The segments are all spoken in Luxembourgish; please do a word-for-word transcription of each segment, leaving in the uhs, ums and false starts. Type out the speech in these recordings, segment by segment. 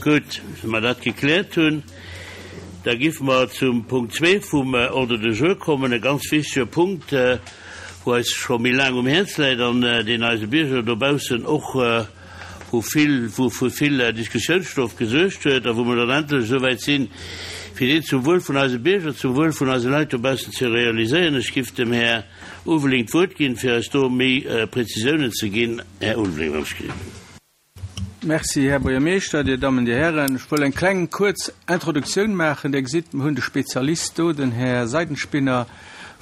Gutt, wa mer dat gekläert hunn, da géife mer zum Punkt zwee vum Ordre du jour kommen, e ganz wichtege Punkt, wou eis scho méi laang um Häerz läit an deen eise Bierger dobaussen och wou vill, wou fir vill Diskussiounsstoff gesuergt huet a wou mer dann endlech esou wäit sinn, fir deen zum Wuel vun eise Bierger, zum Wuel vun eise Leit dobaussen ze realiséieren. Ech giff dem Här Ulveling d'Wuert ginn, fir eis do méi Prezisiounen ze ginn. Här Ulveling, wann ech gelift. Merci, Här Buergermeeschter, Dir Dammen, Dir Hären. Ech wëll eng kleng kuerz Introduktioun maachen. Dir gesitt, mir hunn de Spezialist do, den Här Seidenspinner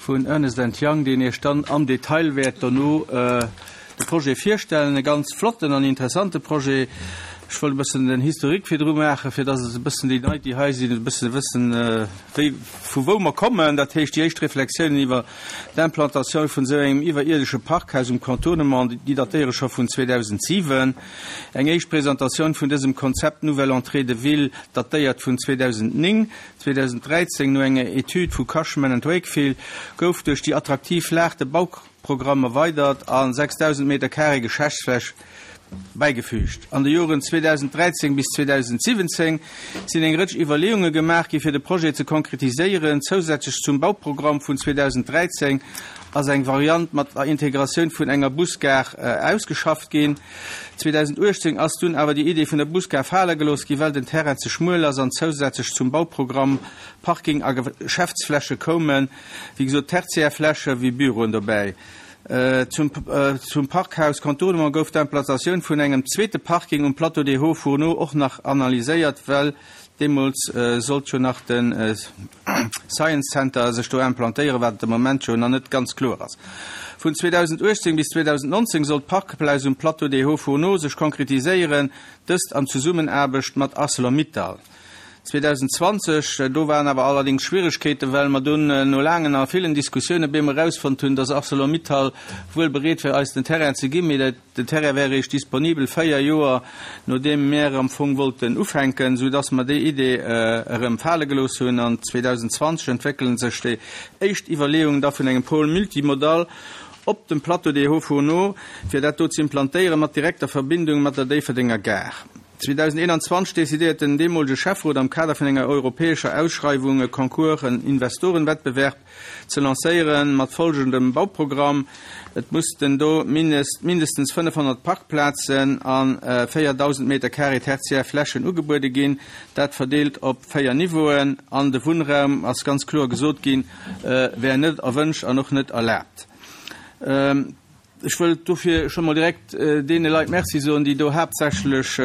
vun Ernest and Young, deen Iech dann am Detail wäert dono de Projet virstellen. E ganz flotten an interessante Projet. Ech wëll e bëssen den Historique virdru maachen, fir dass et e bëssen déi Leit, déi hei sinn, e bësse wëssen, wéi, vu wou mer kommen. Dat heescht, déi éischt Reflexiounen iwwer d'Implantatioun vun esou engem iwwerierdesche Parkhaus um Contournement, déi datéiere scho vun zweedausendsiwen. Eng éischt Presentatioun vun dësem Konzept Nouvelle entrée de ville datéiert vun zweedausendnéng. zweedausendräizéng, no enger Etüd vu Cushman and Wakefield, gouf duerch déi attraktiv Lag de Bauprogramm erweidert a sechsdausend Meter carré Geschäftsfläch bäigefügt. An de Joren zweedausendräizéng bis zweedausendsiwwenzéng sinn eng Rëtsch Iwwerleeunge gemaach gi fir de Projet ze konkretiséieren. Zousätzlech zum Bauprogramm vun zweedausendräizéng ass eng Variant mat der Integratioun vun enger Busgare ausgeschafft ginn. zweedausendachtzéng ass dunn awer déi Idee vun der Busgare fale gelooss gi well den Terrain ze schmuel ass an zousätzlech zum Bauprogramm Parking a Geschäftsfläche koumen, wéi gesot tertiär Fläche wéi Büroen dobäi. Zum zum Parkhaus Contournement gouf d'Implantatioun vun engem zweete Parking um Plateau des Hauts Fourneaux och nach analyséiert, well deemools sollt jo nach de Science Center sech do implantéieren, wat de Moment jo nach net ganz kloer ass. Vun zweedausendachtzéng bis zweedausendnonzéng soll d'Parkplaz um Plateau des Hauts Fourneaux sech konkretiséieren, dëst an Zesummenaarbecht mat Arcelor-Mittal. zweedausendzwanzeg, do waren awer allerdings Schwieregkeeten, well mer dunn no laangen a villen Diskussiounen op eemol erausfonnt hunn, dass Arcelor-Mittal wuel bereet wär, eis den Terrain ze ginn, mee den Terrain wär eréischt disponibel véier Joer nodeem mär am Fong wollten ufänken, soudass mer déi Idee erëm fale gelooss hunn. An zweedausendzwanzeg entwéckele sech déi éischt Iwwerleeungen da vun engem Pôle multimodal op dem Plateau des Hauts-Fourneaux, fir dat do ze implantéieren, mat direkter Verbindung mat der Déifferdenger Gare. zweedausendeenanzwanzeg decidéiert den deemolege Schäfferot am Kader vun enger europäescher Ausschreiwung e Concours, en Investorenwettbewerb ze lancéieren, mat folgendem Bauprogramm, Et mussten do mindestens fënnefhonnert Parkplazen a véierdausend Meter carré tertiär Flächen ugebuede ginn, dat verdeelt op véier Niveauen, an de Wunnraum, ass ganz kloer gesot ginn, wär net erwënscht an och net erlaabt. Ech wëll dofir scho mol direkt deene Leit Merci soen, déi do haaptsächlech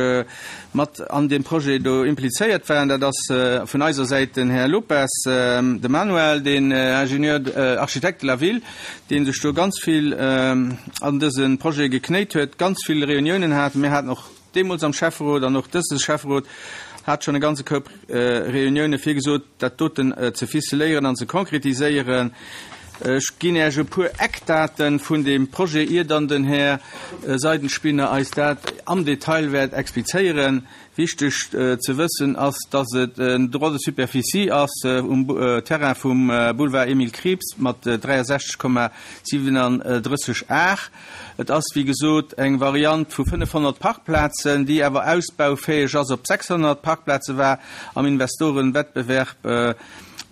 mat an deem Projet do implizéiert waren. Dat ass vun eiser Säit den Här Lopes, de Manuel, deen Ingénieur, Architecte de la Ville, dee sech do ganz vill an dëse Projet geknéit huet, ganz vill Reuniounen hat. Mir haten och deemools am Schäfferot an och dëse Schäfferot hat schonn e ganze Koup Reunioune fir gesot, dat doten ze ficeléieren an ze konkretiséieren. Ech ginn Äech e puer Eckdaten vun deem Projet, ier dann den Här Seidenspinner eis dat am Detail wäert explizéieren. Wichteg ze wëssen ass, dass et en Droit de superficie ass um Terrain vum Boulevard Emile Krieps mat dräiasechzeg Komma siwenanddrësseg Ar. Et ass, wéi gesot, eng Variant vu fënnefhonnert Parkplazen, déi awer ausbaufäeg ass op sechshonnert Parkplaze, war am Investorenwettbewerb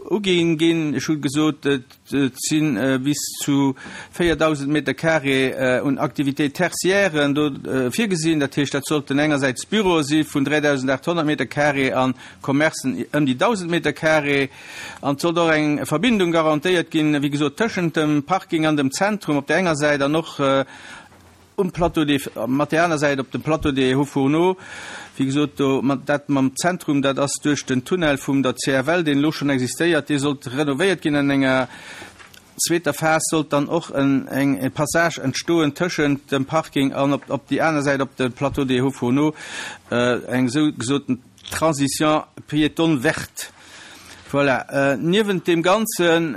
uginn ginn. Ech hu gesot, et si bis zu véierdausend Meter carré un Activités tertiairen do virgesinn. Dat heescht, dat sollten engersäits Büroe si vun dräidausendachthonnert Meter carré a Commercen ëm déi dausend Meter carré. An et sollt och eng Verbindung garantéiert ginn, wéi gesot, tëschent dem Parking an dem Zentrum op där enger Säit an och um Plateau des, mat där aner Säit op dem Plateau des Hauts-Fourneaux. Wéi gesot, do mat, dat mam Zentrum, dat ass duerch den Tunnel vum der C F L, deen elo schonn existéiert, dee sollt renovéiert ginn. An enger zweeter Phas sollt dann och en, eng, e Passage entstoen tëschent dem Parking an op, op déi aner Säit op de Plateau des Hauts-Fourneaux, eng esou gesoten Transition piétonne verte. Voilà. Niewent deem Ganzen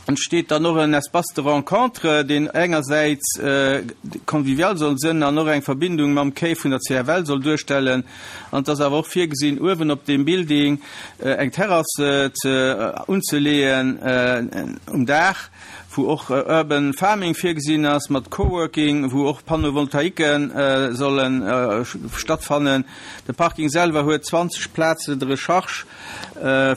entsteet dann och en Espace de rencontre, deen engersäits convivial soll sënn an och eng Verbindung mam Quai vun der C F L soll duerstellen. An et ass awer och virgesinn, uewen op deem Building eng Terrasse ze unzeleeën um Daach, wou och Urban Farming virgesinn ass mat Coworking, wou och Panneauvoltaiquen solle stattfannen. De Parking selwer huet zwanzeg Places de recharge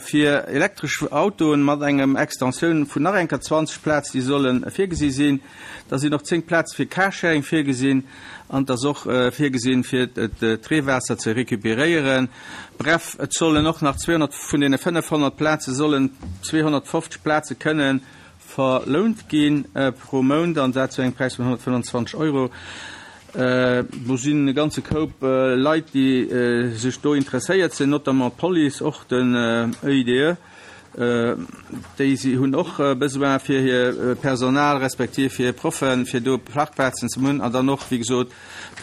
fir elektresch Autoen mat engem Extensioun vun nach enker zwanzeg Plazen, déi solle virgesi sinn. Da sinn och zéng Plaze fir Carsharing virgesinn an et ass och virgesinn, fir d'Reewaasser ze recuperéieren. Bref, et sollen och nach zweehonnert, vun deene fënnefhonnert Plaze sollen zweehonnertfofzeg Plaze kënnen verlount gi pro Mount, an dat zu engem Präis vun honnertfënnwanzwanzeg Euro. Do sinn e ganze Koup Leit, déi sech do interesséiert sinn, notamment d'Police, och den E I D E. Déi si hunn och Besoin fir hir Personal respektiv hir Proffen, fir do Parkplazen ze hunn, an dann och, wéi gesot,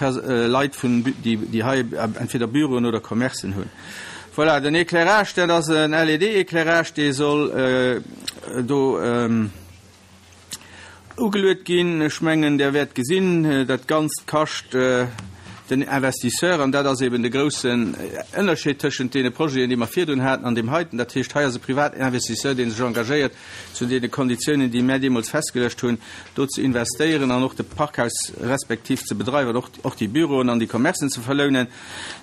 Leit, vun, déi, déi hei entweder Büroen oder Commercen hunn. Voilà, den Éclairage, dat ass en L E D-Éclairage, dee soll do ugeluet ginn. Ech mengen, Der wäert gesinn, dat Ganzt kascht den Investisseur, an dat ass eben de groussen Ënnerscheed tëschent deene Projeten, déi mer virdrun haten, an deem heiten. Dat heescht, hei ass e privaten Investisseur, dee sech engagéiert, zu deene Konditiounen, déi mär deemools festgeluecht hunn, do ze investéieren an och de Parkhaus respektiv ze bedreiwen, och, och déi Büroen an déi Commercen ze verlounen.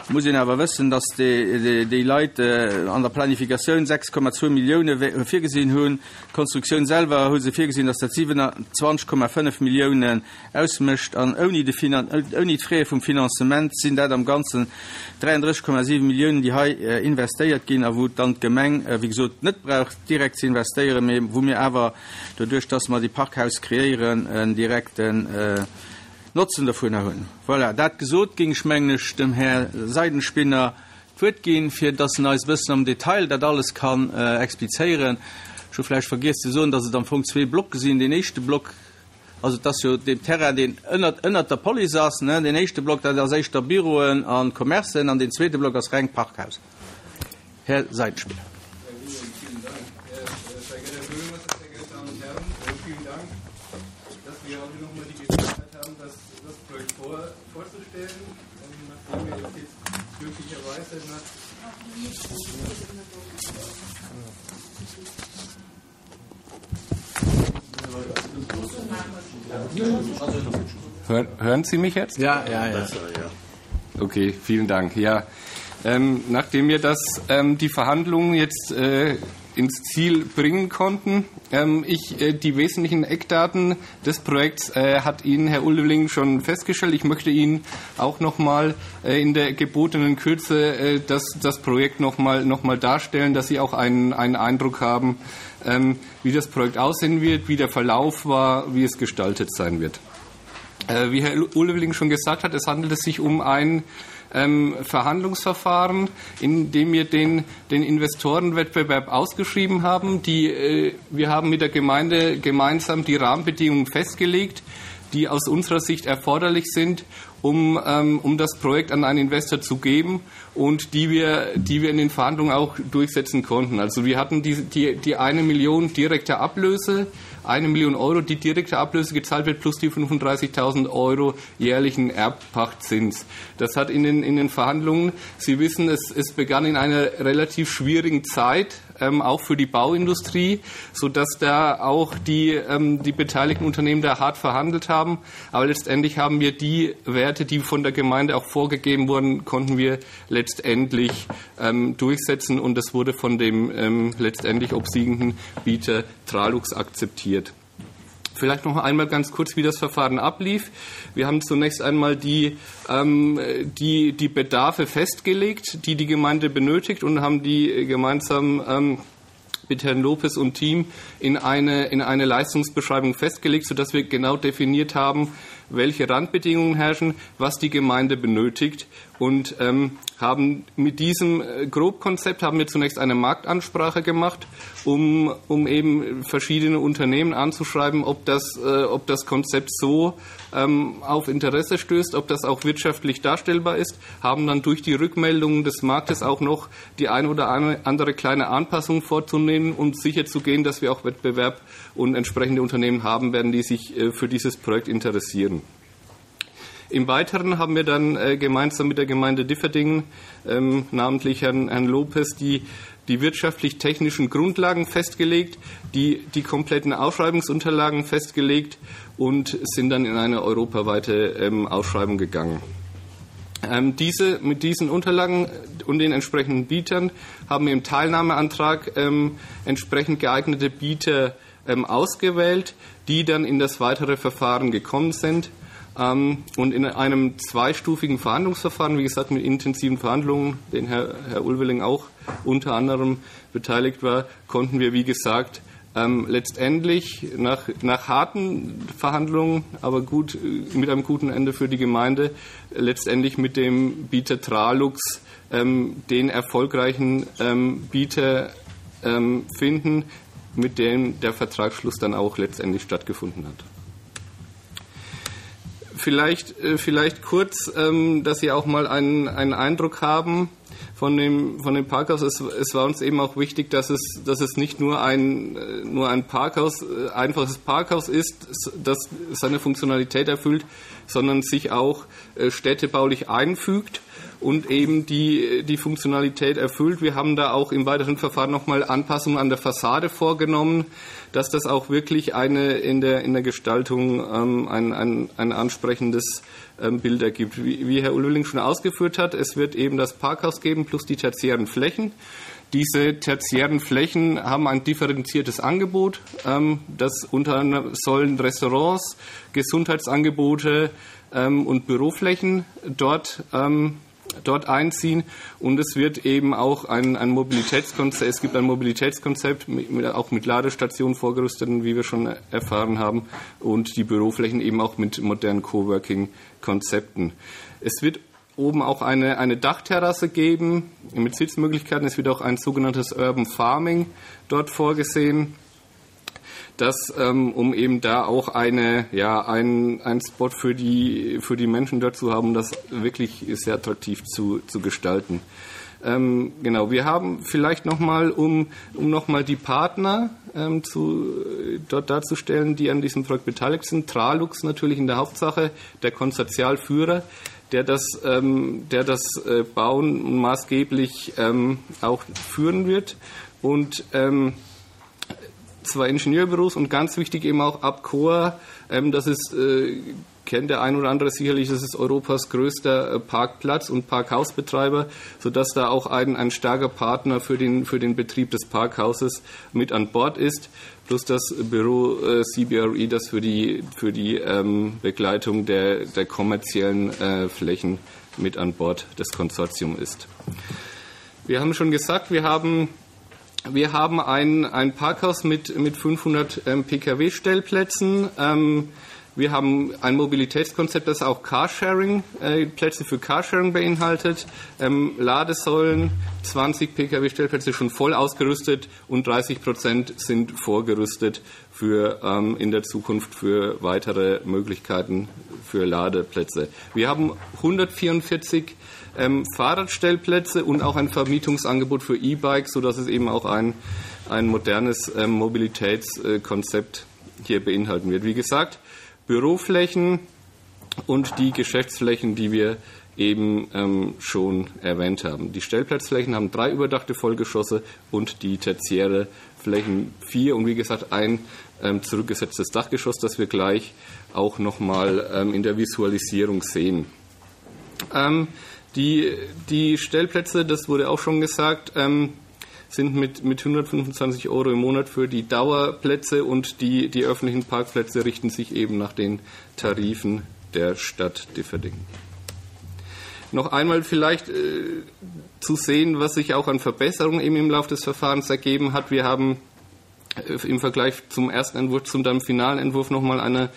Et muss een awer wëssen, dass déi, déi Leit an der Planifikatioun sechs Komma zwou Millioune virgesinn hunn. D'Konstruktioun selwer hu se virgesinn, dass dat siewenundzwanzeg Komma fënnef Milliounen ausmécht, an ouni de Finan ouni d'Fraie vum Finanzement sinn dat am Ganzen dräiandrësseg Komma siwe Milliounen, déi hei investéiert ginn a wou dann d'Gemeng, wéi gesot, net brauch direkt ze investéieren, mee wou mir awer doduerch, dass mer déi Parkhaus kreéieren, en direkten Notzen dovunner hunn. Voilà, dat gesot, géing ech, mengen ech, dem Här Seidenspinner d'Wuert ginn, fir dass en eis e bëssen am Detail dat alles kann explizéieren. Ech hu vläicht vergiess ze soen, dass et am Fong zwee Blocke sinn. Deen éischte Block, also et ass jo deen Terrain, deen ënnert, ënnert der Police ass, ne, deen éischte Block, dat ass éischter Büroen a Commercen, an deen zweete Block ass reng Parkhaus. Här Seidenspinner. Vielen Dank. Sehr geehrter Herr Bürgermeister, sehr geehrte Damen und Herren, vielen Dank, dass wir heute nochmal die Gelegenheit haben, das, das Projekt vor, vorzustellen, nachdem wir jetzt glücklicherweise nach Hören, hören Sie mich jetzt? Ja, ja, ja. Okay, vielen Dank. Ja, ähm, nachdem wir das, ähm, die Verhandlungen jetzt äh, ins Ziel bringen konnten, ähm, ich, äh, die wesentlichen Eckdaten des Projekts äh, hat Ihnen Herr Ulveling schon festgestellt. Ich möchte Ihnen auch noch mal äh, in der gebotenen Kürze äh, das, das Projekt noch mal, noch mal darstellen, dass Sie auch einen, einen Eindruck haben, ähm, wie das Projekt aussehen wird, wie der Verlauf war, wie es gestaltet sein wird. Äh, wie Herr Ulveling schon gesagt hat, es handelt es sich um ein ähm, Verhandlungsverfahren, in dem wir den, den Investorenwettbewerb ausgeschrieben haben. Die, äh, wir haben mit der Gemeinde gemeinsam die Rahmenbedingungen festgelegt, die aus unserer Sicht erforderlich sind, um, ähm, um das Projekt an einen Investor zu geben und die wir, die wir in den Verhandlungen auch durchsetzen konnten. Also wir hatten die, die, die eine Million direkte Ablöse, eine Million Euro, die direkte Ablöse gezahlt wird, plus die fünfunddreißigtausend Euro jährlichen Erbpachtzins. Das hat in den, in den Verhandlungen, Sie wissen, es, es begann in einer relativ schwierigen Zeit, ähm, auch für die Bauindustrie, sodass da auch die, ähm, die beteiligten Unternehmen da hart verhandelt haben. Aber letztendlich haben wir die Werte, die von der Gemeinde auch vorgegeben wurden, konnten wir letztendlich, ähm, durchsetzen und das wurde von dem, ähm, letztendlich obsiegenden Bieter Tralux akzeptiert. Vielleicht noch einmal ganz kurz, wie das Verfahren ablief. Wir haben zunächst einmal die, ähm, die, die Bedarfe festgelegt, die die Gemeinde benötigt und haben die gemeinsam, ähm, mit Herrn Lopez und Team in eine, in eine Leistungsbeschreibung festgelegt, sodass wir genau definiert haben, welche Randbedingungen herrschen, was die Gemeinde benötigt und, ähm, haben mit diesem, äh, Grobkonzept haben wir zunächst eine Marktansprache gemacht, um, um eben verschiedene Unternehmen anzuschreiben, ob das, äh, ob das Konzept so, ähm, auf Interesse stößt, ob das auch wirtschaftlich darstellbar ist, haben dann durch die Rückmeldungen des Marktes auch noch die eine oder andere kleine Anpassung vorzunehmen und sicherzugehen, dass wir auch Wettbewerb und entsprechende Unternehmen haben werden, die sich, äh, für dieses Projekt interessieren. Im Weiteren haben wir dann äh, gemeinsam mit der Gemeinde Differdingen, ähm, namentlich Herrn, Herrn Lopez, die, die wirtschaftlich-technischen Grundlagen festgelegt, die, die kompletten Ausschreibungsunterlagen festgelegt und sind dann in eine europaweite ähm, Ausschreibung gegangen. Ähm, diese, mit diesen Unterlagen und den entsprechenden Bietern haben wir im Teilnahmeantrag ähm, entsprechend geeignete Bieter ähm, ausgewählt, die dann in das weitere Verfahren gekommen sind. Ähm, und in einem zweistufigen Verhandlungsverfahren, wie gesagt, mit intensiven Verhandlungen, den Herr, Herr Ulveling auch unter anderem beteiligt war, konnten wir, wie gesagt, ähm, letztendlich nach, nach harten Verhandlungen, aber gut, mit einem guten Ende für die Gemeinde, letztendlich mit dem Bieter Tralux ähm, den erfolgreichen ähm, Bieter ähm, finden, mit dem der Vertragsschluss dann auch letztendlich stattgefunden hat. Vielleicht, äh, vielleicht kurz, ähm, dass Sie auch mal einen, einen Eindruck haben von dem, von dem Parkhaus. Es, es war uns eben auch wichtig, dass es, dass es nicht nur ein, äh, nur ein Parkhaus, äh, einfaches Parkhaus ist, das seine Funktionalität erfüllt, sondern sich auch städtebaulich einfügt und eben die, die Funktionalität erfüllt. Wir haben da auch im weiteren Verfahren nochmal Anpassungen an der Fassade vorgenommen, dass das auch wirklich eine in der, in der Gestaltung ähm, ein, ein, ein ansprechendes ähm, Bild ergibt. Wie, wie Herr Ulveling schon ausgeführt hat, es wird eben das Parkhaus geben plus die tertiären Flächen. Diese tertiären Flächen haben ein differenziertes Angebot. Ähm, das unter anderem sollen Restaurants, Gesundheitsangebote ähm, und Büroflächen dort ähm, dort einziehen und es wird eben auch ein, ein Mobilitätskonzept, es gibt ein Mobilitätskonzept mit, mit, auch mit Ladestationen vorgerüstet, wie wir schon erfahren haben, und die Büroflächen eben auch mit modernen Coworking-Konzepten. Es wird oben auch eine, eine Dachterrasse geben mit Sitzmöglichkeiten. Es wird auch ein sogenanntes Urban Farming dort vorgesehen das, ähm, um eben da auch eine, ja, ein, ein Spot für die, für die Menschen dort zu haben, das wirklich sehr attraktiv zu, zu gestalten. Ähm, genau, wir haben vielleicht nochmal, um, um nochmal die Partner ähm, zu, dort darzustellen, die an diesem Projekt beteiligt sind. Tralux natürlich in der Hauptsache, der Konsortialführer, der das, ähm, der das äh, Bauen maßgeblich ähm, auch führen wird. Und ähm, zwei Ingenieurbüros und ganz wichtig eben auch Abcoa, ähm, das ist, äh, kennt der ein oder andere sicherlich, das ist Europas größter äh, Parkplatz und Parkhausbetreiber, sodass da auch ein, ein starker Partner für den, für den Betrieb des Parkhauses mit an Bord ist, plus das Büro äh, C B R E, das für die, für die, ähm, Begleitung der, der kommerziellen, äh, Flächen mit an Bord des Konsortiums ist. Wir haben schon gesagt, wir haben Wir haben ein, ein Parkhaus mit, mit fünfhundert, ähm, P K W-Stellplätzen. Ähm, wir haben ein Mobilitätskonzept, das auch Carsharing, äh, Plätze für Carsharing beinhaltet. Ähm, Ladesäulen, zwanzig P K W-Stellplätze schon voll ausgerüstet und dreißig Prozent sind vorgerüstet für, ähm, in der Zukunft für weitere Möglichkeiten für Ladeplätze. Wir haben hundertvierundvierzig, ähm, Fahrradstellplätze und auch ein Vermietungsangebot für E-Bikes, sodass es eben auch ein, ein modernes, ähm, Mobilitätskonzept hier beinhalten wird. Wie gesagt, Büroflächen und die Geschäftsflächen, die wir eben, ähm, schon erwähnt haben. Die Stellplatzflächen haben drei überdachte Vollgeschosse und die tertiäre Flächen vier und wie gesagt ein, ähm, zurückgesetztes Dachgeschoss, das wir gleich auch nochmal, ähm, in der Visualisierung sehen. Ähm, die, die Stellplätze, das wurde auch schon gesagt, ähm, sind mit, mit hundertfünfundzwanzig Euro im Monat für die Dauerplätze und die, die öffentlichen Parkplätze richten sich eben nach den Tarifen der Stadt Differdingen. Noch einmal vielleicht, äh, zu sehen, was sich auch an Verbesserungen eben im Laufe des Verfahrens ergeben hat. Wir haben, äh, im Vergleich zum ersten Entwurf, zum dann finalen Entwurf nochmal eine,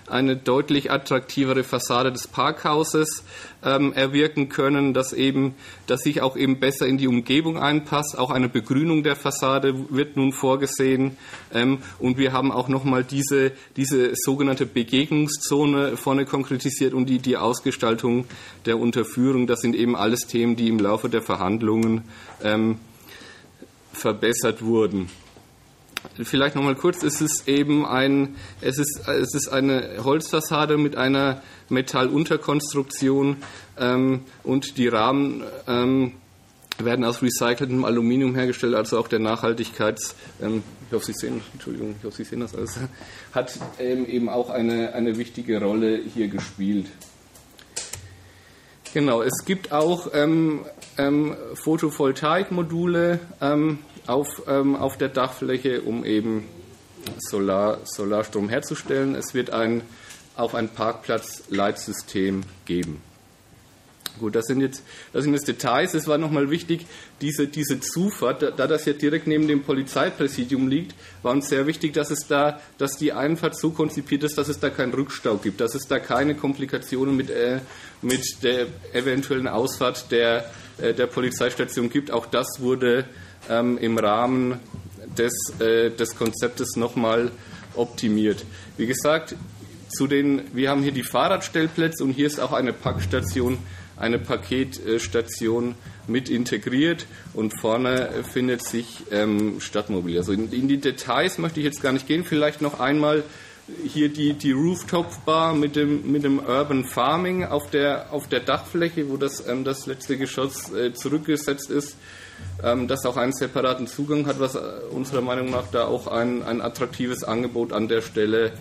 eine deutlich attraktivere Fassade des Parkhauses, ähm, erwirken können, dass eben, dass sich auch eben besser in die Umgebung einpasst. Auch eine Begrünung der Fassade wird nun vorgesehen. Ähm, und wir haben auch nochmal diese, diese sogenannte Begegnungszone vorne konkretisiert und die, die Ausgestaltung der Unterführung. Das sind eben alles Themen, die im Laufe der Verhandlungen, ähm, verbessert wurden. Vielleicht noch mal kurz, es ist eben ein, es ist, es ist eine Holzfassade mit einer Metallunterkonstruktion ähm, und die Rahmen ähm, werden aus recyceltem Aluminium hergestellt, also auch der Nachhaltigkeits, ähm, ich hoffe, Sie sehen, Entschuldigung, ich hoffe, Sie sehen das alles, hat ähm, eben auch eine, eine wichtige Rolle hier gespielt. Genau, es gibt auch ähm, ähm, Photovoltaikmodule ähm, auf, ähm, auf der Dachfläche, um eben Solar, Solarstrom herzustellen. Es wird ein, auch ein Parkplatzleitsystem geben. Gut, das sind jetzt, das sind jetzt Details. Es war nochmal wichtig, diese, diese Zufahrt, da, da das ja direkt neben dem Polizeipräsidium liegt, war uns sehr wichtig, dass es da, dass die Einfahrt so konzipiert ist, dass es da keinen Rückstau gibt, dass es da keine Komplikationen mit, äh, mit der eventuellen Ausfahrt der, äh, der Polizeistation gibt. Auch das wurde ähm, im Rahmen des, äh, des Konzeptes nochmal optimiert. Wie gesagt, zu den, wir haben hier die Fahrradstellplätze und hier ist auch eine Packstation, eine Paketstation mit integriert und vorne findet sich ähm, Stadtmobil. Also in, in die Details möchte ich jetzt gar nicht gehen. Vielleicht noch einmal hier die, die Rooftop-Bar mit dem, mit dem Urban Farming auf der, auf der Dachfläche, wo das, ähm, das letzte Geschoss äh, zurückgesetzt ist, ähm, das auch einen separaten Zugang hat, was äh, unserer Meinung nach da auch ein, ein attraktives Angebot an der Stelle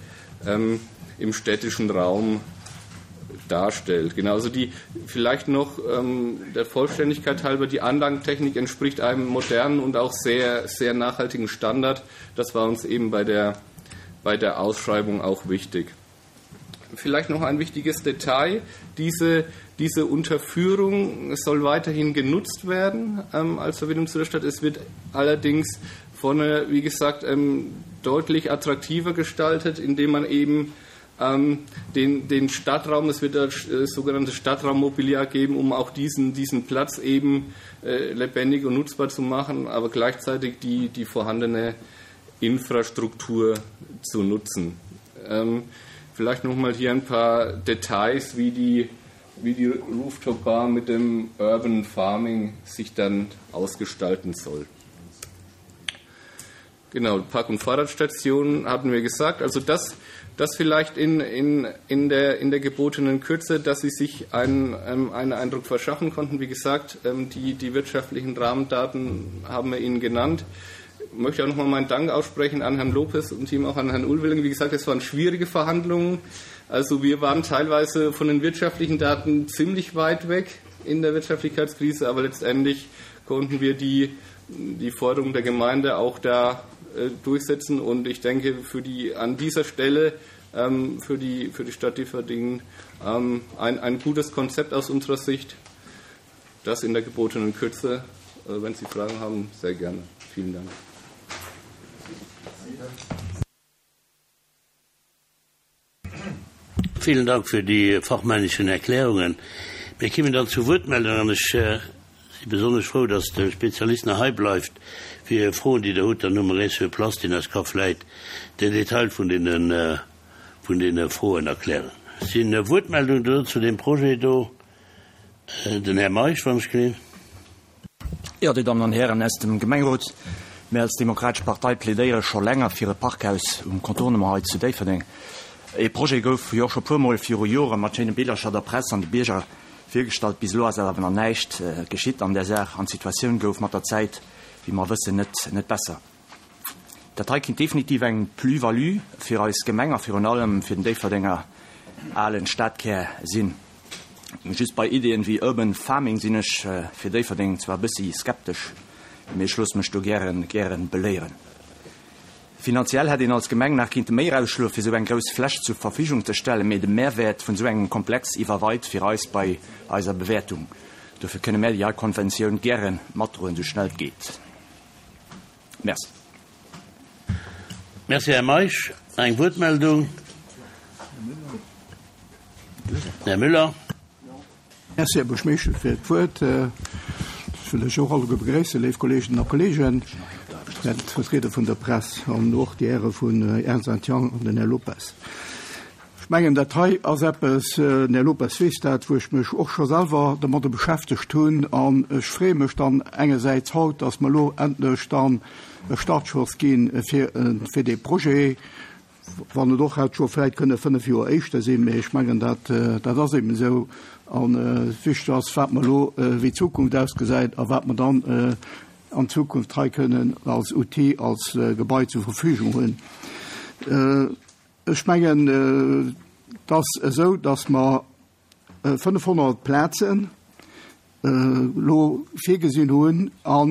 ähm, im städtischen Raum darstellt. Genauso die vielleicht noch ähm, der Vollständigkeit halber, die Anlagentechnik entspricht einem modernen und auch sehr, sehr nachhaltigen Standard. Das war uns eben bei der, bei der Ausschreibung auch wichtig. Vielleicht noch ein wichtiges Detail. Diese, diese Unterführung soll weiterhin genutzt werden ähm, als Verbindung zu der Stadt. Es wird allerdings vorne, wie gesagt, ähm, deutlich attraktiver gestaltet, indem man eben ähm, den, den Stadtraum, es wird das äh, sogenannte Stadtraummobiliar geben, um auch diesen, diesen Platz eben äh, lebendig und nutzbar zu machen, aber gleichzeitig die, die vorhandene Infrastruktur zu nutzen. Ähm, vielleicht nochmal hier ein paar Details, wie die, wie die Rooftop Bar mit dem Urban Farming sich dann ausgestalten soll. Genau, Park- und Fahrradstationen hatten wir gesagt. Also das, das vielleicht in, in, in, der, in der gebotenen Kürze, dass Sie sich einen, ähm, einen Eindruck verschaffen konnten. Wie gesagt, ähm, die, die wirtschaftlichen Rahmendaten haben wir Ihnen genannt. Ich möchte auch nochmal meinen Dank aussprechen an Herrn Lopez und Team auch an Herrn Ulwilling. Wie gesagt, es waren schwierige Verhandlungen. Also wir waren teilweise von den wirtschaftlichen Daten ziemlich weit weg in der Wirtschaftlichkeitskrise, aber letztendlich konnten wir die, die Forderung der Gemeinde auch da äh, durchsetzen und ich denke für die an dieser Stelle ähm, für die für die Stadt Differdingen ähm, ein, ein gutes Konzept aus unserer Sicht, das in der gebotenen Kürze. Äh, wenn Sie Fragen haben, sehr gerne. Vielen Dank. Vielen Dank für die fachmännischen Erklärungen. Wir kommen dann zu Wuertmeldungen. Ech äh, si besonnesch frou, dass de Spezialist nach hei bleift fir Froen, déi Der hutt, dann hu mer ee sur place, deen eis ka vläit den Detail vun deenen, äh, vun deene Froen erklären. Sinn Wuertmeldungen do zu deem Projet do? Äh, den Här Meisch, wann ech gesinn. Jo, Dir Dammen an Hären aus dem Gemengerot, mir als Demokratesch Partei plädéiere scho länger fir e Parkhaus um Contournement hei zu Déifferdeng. E Projet gouf jo scho puermol viru Jore mat schéine Billercher der Press an de Bierger virgestallt. Bis elo ass awer nach näischt geschitt an där Saach an d'Situatioun gouf mat der Zäit, wéi mer wëssen, net net besser. Dat hei kinnt definitiv eng Plus-value fir eis Gemeng a virun allem fir den Déifferdenger alen Stadkär sinn. Just bei Iddien wéi Urban Farming sinn ech fir Déifferdeng zwar e bëssi skeptesch, mee ech loosse mech do gären gären beléieren. Finanziell hätt een als Gemeng nach kinnte méi erausschloe fir esou eng grouss Fläch zur Verfügung ze stellen, mee de Mehrwäert vun esou engem Komplex iwwerweit fir eis bei eiser Bewäertung. Dofir kënne mär déi hei Konventioun gäre matdroen, esou schnell et geet. Merci. Merci, Här Meisch. Eng Wuertmeldung? Här Müller. Merci, Här Buergermeeschter, fir d'Wuert. Ech wëll lech och alleguer begréissen, léif Kolleeginnen a Kolleegen, d'Vertrieder vun der Press an och déi Häre vun Ernst and Young an den Här Lopez. Ech mengen, dat hei ass eppes, den Här Lopez weess dat, wou ech mech och scho selwer domadder beschäftegt hunn. An ech freeë mech dann engersäits haut, dass mer elo endlech dann e Startschoss gi fir, fir dee Projet, wann et och hätt scho vläicht kënne fënnef Joer éischter sinn, mee ech mengen, dat, dat ass eben esou. An wichteg ass, wat mer elo, wéi d'Zukunft ausgesäit a wat mer dann an Zukunft hei kënnen als Outil, als Gebai zur Verfügung hunn. Ech mengen, et ass esou, dass mer fënnefhonnert Plazen elo virgesinn hunn a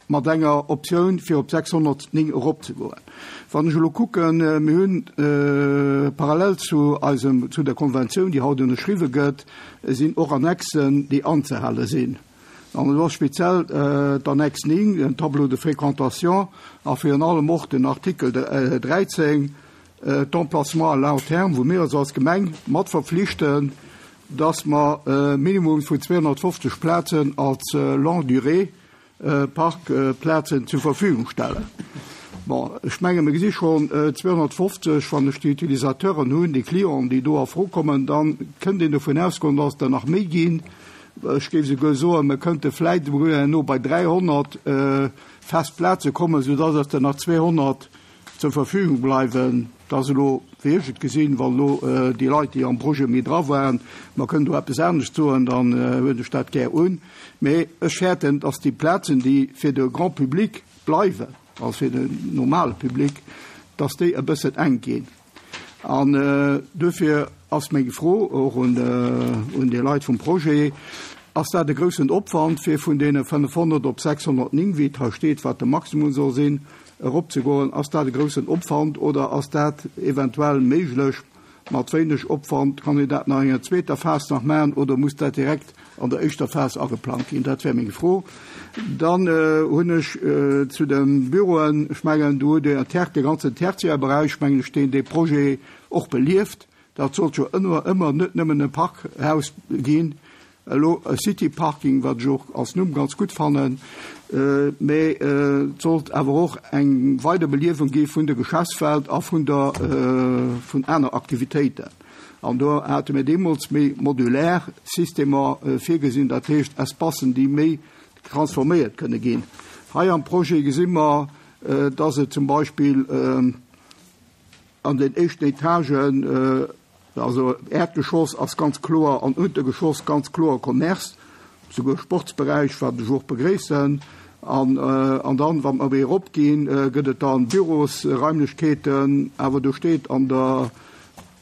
mat enger Optioun, fir op sechshonnertnéng eropzegoen. Wann ech elo kucken, mir hunn parallel zu eisem, zu der Konventioun, déi haut ënnerschriwwe gëtt, sinn och Annexen, déi anzehale sinn. An elo speziell d'Annex néng, den Tableau de fréquentation, a virun allem och den Artikel dräizéng, d'Emplacement à long terme, wou mir eis als Gemeng mat verpflichten, dass mer e Minimum vun zweehonnertfofzeg Plazen als longue durée Parkplazen zur Verfügung stellen. Bon, ech menge mir gesi schonn zweehonnertfofzeg, wann ech déi Utilisateuren hunn, déi Clienten, déi do a Fro kommen, da kënnt een dovun ausgoen, dass der nach méi ginn. Ech géif souguer soen, mir kënnte vläicht herno bei dräihonnert fest Plaze kommen, soudass dass der nach zweehonnert zur Verfügung bleiwen. Dat ass elo, wéi ech et gesinn, wann elo déi Leit, déi am Projet méi dra waren, mer kënnen do eppes anescht soen, dann huelen ech dat gär un. Mee ech fäerten, dass déi Plazen, déi fir de Grand public bleiwen, also fir den normale Public, dass déi e bëssen enk ginn. An duerfir ass meng Fro och un, un déi Leit vum Projet, Ass dat e groussen Opwand, fir vun deene fënnefhonnert op sechshonnertnéng, wéi et hei steet, wat de Maximum soll sinn, eropzegoen? Ass dat e groussen Opwand oder ass dat eventuell méiglech mat wéineg Opwand? Kann een dat nach an enger zweeter Phas nach maachen oder muss dat direkt an der éischter Phas ageplangt ginn? Dat wär meng Fro. Dann hunn ech zu de Büroen, ech mengen, do hutt Dir de ganzen Tertiärberäich, mengen ech, deen dee Projet och belieft. Dat sollt jo ëmmer, ëmmer net nëmmen e Parkhaus ginn, elo e City Parking, wat ech och als Numm ganz gutt fannen, mä et sollt awer och eng Weiderbeliewung gi vun der Geschäftswelt a vun der, vun aner Aktivitéiten. An do hate mir deemools méi modulär Systemer virgesinn, dat heescht Espacen, déi méi transforméiert kënne ginn. Hei am Projet gesi mer, dass et zum Beispill an den éischten Etagen, also Äerdgeschoss ass ganz kloer an Untergeschoss ganz kloer Commerce, souguer Sportsberäich, wat ech och begréissen. An, an dann, wa mer méi eropginn, gëtt et dann Bürosraimlechkeeten, awer do steet an der,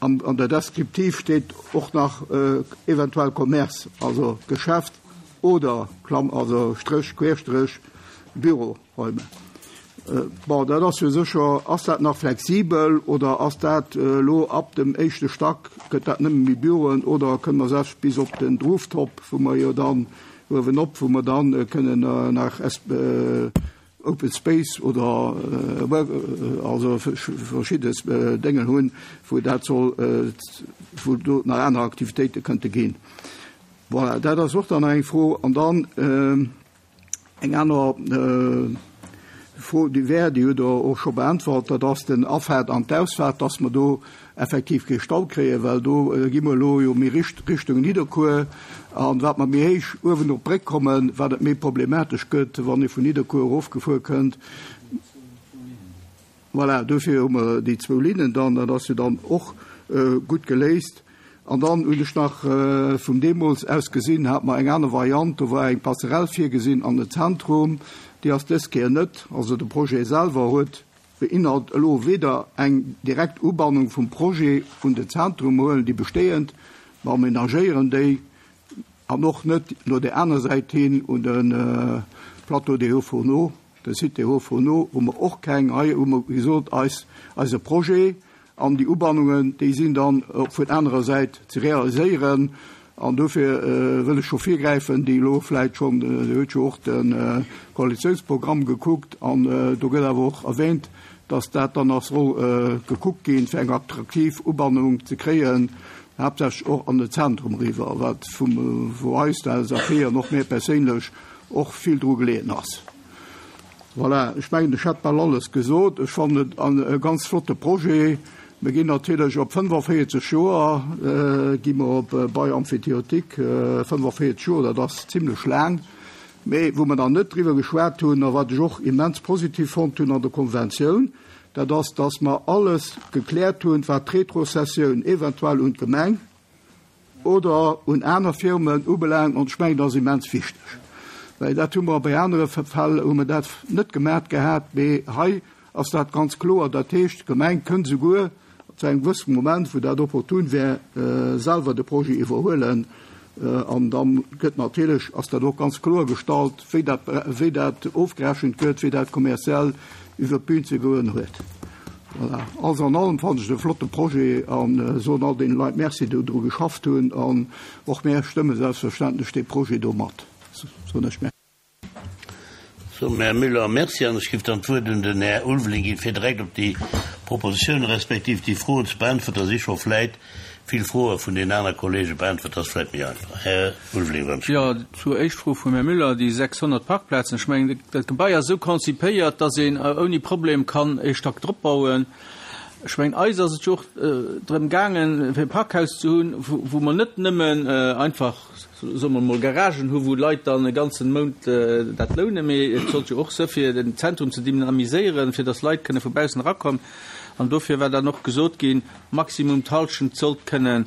an, an der Descriptive steet och nach eventuell Commerce, also Geschäft oder Klamm, also Stréch, Querstréch, Büroräume. Bon, dat ass jo sécher, ass dat nach flexibel oder ass dat elo ab dem éischte Stack, gëtt dat nëmme méi Büroen oder kënne mer selbst bis op den Rooftop, wou mer jo dann uewenop, wou mer dann kënnen nach Open Space oder also verschidde Déngen hunn, wou dat soll, wou do nach aner Aktivitéite kënnte ginn. Voilà, dat ass och dann nach eng Fro. An dann eng aner Fro, déi wär, déi hutt Der och scho beäntwert, dat ass den Afaart an d'Ausfaart, dass mer do effektiv kee Stau kréien, well do gi mer elo jo méi Richtung Nidderkuer. An wat mer méi héich uewen op d'Bréck kommen, wat et méi problematesch gëtt, wann ee vun Nidderkuer erofgefuer kënnt. Voilà, dofir hu mer déi zwou Linnen dann, dat ass jo dann och gutt geléist. An dann hunn ech nach vum deemools aus gesinn, hat mer eng aner Variant, do war eng Passerelle virgesinn an den Zentrum, déi ass dës Kéier net. Also de Projet selwer huet beinhalt elo weder eng direkt Ubannung vum Projet un den Zentrum, mer huelen déi bestehend, mer amenagéieren déi, an och net no där aner Säit hin un de Plateau des Hauts-Fourneaux, de Site des Hauts-Fourneaux, hu mer och keng. Hei hu mer gesot, eis, eise Projet an déi Ubannungen, déi sinn dann op vun anerer Säit ze realiséieren. An dofir wëll ech scho virgräifen, déi elo vläicht schonn, Dir hutt jo och de Koalitiounsprogramm gekuckt, an do gëtt awer och erwähnt, dass dat dann nach soll gekuckt ginn, fir eng attraktiv Ubannung ze kréien, haaptsächlech och an den Zentrum eriwwer, wat vum, wou eis, der L S A P an och mir perséinlech och vill dru geleeën ass. Voilà, ech mengen, ech hätt bal alles gesot. Ech fannen et e ganz flotte Projet. Mir ginn natierlech op fënnefenvéierzeg Joer, gi mer op Bail emphytéotique, fënnefenvéierzeg Joer, dat ass zimlech laang. Mee wou mer dann net driwwer geschwat hunn a wat ech och immens positiv fonnt hunn an der Konventioun, dat ass, dass mer alles gekläert hunn, wat d'Retrocessioun eventuell un d'Gemeng oder un aner Firmen ubelaangt. An ech mengen, dat ass immens wichteg, well dat hu mer bei anere Fäll hu mer dat net gemat gehat, mee hei ass dat ganz kloer. Dat heescht, d'Gemeng kënnt souguer zu engem gewëssene Moment, wou dat opportun wär, selwer de Projet iwwerhuelen. An da gëtt natierlech, ass dat och ganz kloer gestallt, wéi dat, wéi dat ofgerechent gëtt, wéi dat kommerziell iwwer d'Bün ze goen huet. Voilà. Alles an allem fannen ech et e flotte Projet a soen all deene Leit Merci, déi dru geschafft hunn. An och mär stëmme selbstverständlech dee Projet do mat. Soen ech Merci. Soen dem Här Müller Merci an ech giff dann d'Wuert un den Här Ulveling ginn, fir direkt op déi Propositionen respektiv déi Froen ze beäntweren. Da si scho vläit vill Froe vun den aner Kollege beäntwert, dat ass vläit méi einfach. Här Ulveling, wann ech. Jo, zur éischt Fro vum Här Müller, déi sechshonnert Parkplazen. Ech mengen, dat Gebai ass esou konzipéiert, dass een ouni Problem kann ee Stack drop bauen. Ech mengen, eis ass et jo och drëm gaangen, fir e Parkhaus ze hunn, wou mer net nëmmen einfach, soe mer emol, Garagen hu wou Leit dann e ganzen Mount dat lounen, mee et sollt jo och sou fir den Zentrum ze dynamiséieren, fir dass Leit kënne vu baussen erakommen. An dofir war dann och gesot ginn, maximum d'Hallschent sollt kënnen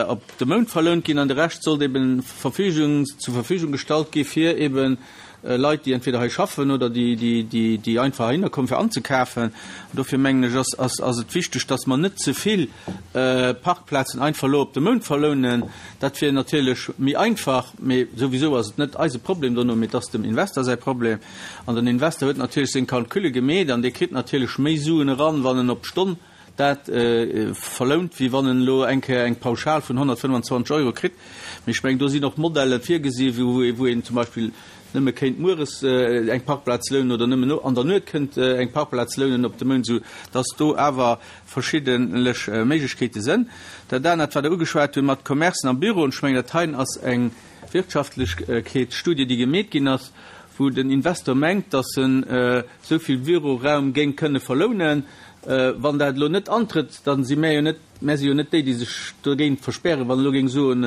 op de Mount verlount ginn an de Rescht sollt eben Verfügung, zur Verfügung gestallt gi fir eben Leit, déi entweder hei schaffen oder déi, déi, déi, déi einfach heihinner kommen, fir anzekafen. An dofir mengen ech, ass, ass, ass et wichteg, dass mer net ze vill Parkplazen einfach elo op de Mount verlounen. Dat wier natierlech méi einfach, mee souwisou ass et net eise Problem dono, mee et ass dem Investor säi Problem. An den Investor huet natierlech seng Calculle gemeet an dee kritt natierlech méi Suen eran, wann en op d'Stonn dat verlount, wéi wann en elo eng Kéier eng Pauschal vun honnertfënnwandzwanzeg Euro kritt. Mee ech mengen, do sinn och Modelle virgesi wou een zum Beispill nëmme kéint mueres eng Parkplaz lounen oder nëmmen an der Nuet kënnt eng Parkplaz lounen op de Mount, esou dass do awer verschiddenlech Méiglechkeete sënn. Dat anert, wat Der ugeschwat hutt mat Commercen a Büroen, ech mengen, dat heien ass eng Wirtschaftlechkeetsstudie, déi gemeet ginn ass, wou den Investor mengt, dass en esou vill Büroraum géing kënne verlounen. Wann dat elo net antrëtt, dann si mär jo net, mär si jo net déi, déi sech dogéint verspären, wann elo géing soen,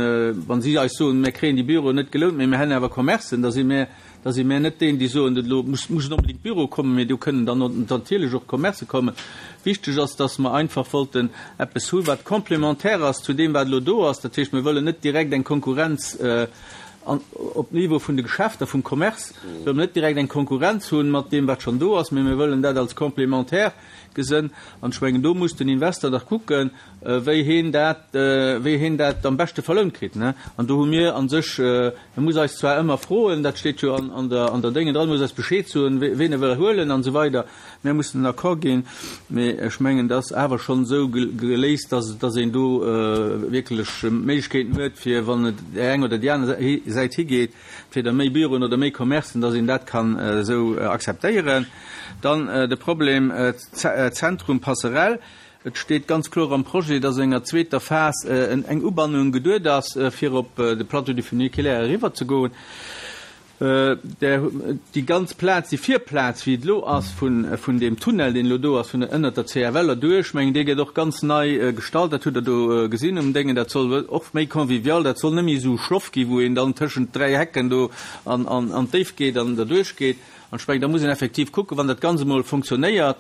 wa si eis soen, mär kréien déi Büroen net gelount, mee mär hätten awer Commercen, da si mär, da si mär net déen, déi soen, elo muss, mussen onbedéngt Büroe kommen, mee do kënnen dann natierlech och Commercë kommen. Wichteg ass, dass mer einfach wollten eppes hu wat complémentaire ass zu deem, wat elo do ass. Dat heescht, mir wëllen net direkt eng Konkurrenz an, op Niveau vun de Geschäfter, vum Commerce, wëlle mer net direkt eng Konkurrenz hunn mat deem, wat schonn do ass, mee mir wëllen dat als complémentaire gesinn. An ech mengen, do muss den Investor dach kucken, wéi heen dat, wéi heen dat am beschte verlount kritt, ne? An do hu mir an sech, e muss eis zwar ëmmer froen, dat steet jo an, an der, an der Dénge dran, muss eis Bescheed soen, ween e wëll huelen an esou weider. Mir mussen den Accord ginn, mee ech mengen, dat ass awer schonn esou geléist, dass, dass een do wierklech Méiglechkeeten huet, fir wann et déi eng oder déi aner Säit higeet, entweder méi Büroen oder méi Commercen, dass een dat kann esou akzeptéieren. Dann de Problem Zentrum Passerell. Et steet ganz kloer am Projet, dass an enger zweeter Phas eng Ubannung geduet ass, fir op de Plateau du Funiculaire eriwwer ze goen. Déi ganz Plaz, déi Virplaz, wéi et elo ass, vun deem Tunnel, deen elo do ass, vun ënnert der C F L erduerch, mengen, dee gëtt och ganz nei gestalt. Dat hutt Der do gesinn um Déngen. Dat soll och méi convivial, dat soll net méi esou schloff ginn, wou een dann tëschent dräi Hecken do an d'Déift geet an derduerch geet. An ech mengen, da muss een effektiv kucken, wann dat Ganzt emol fonctionnéiert,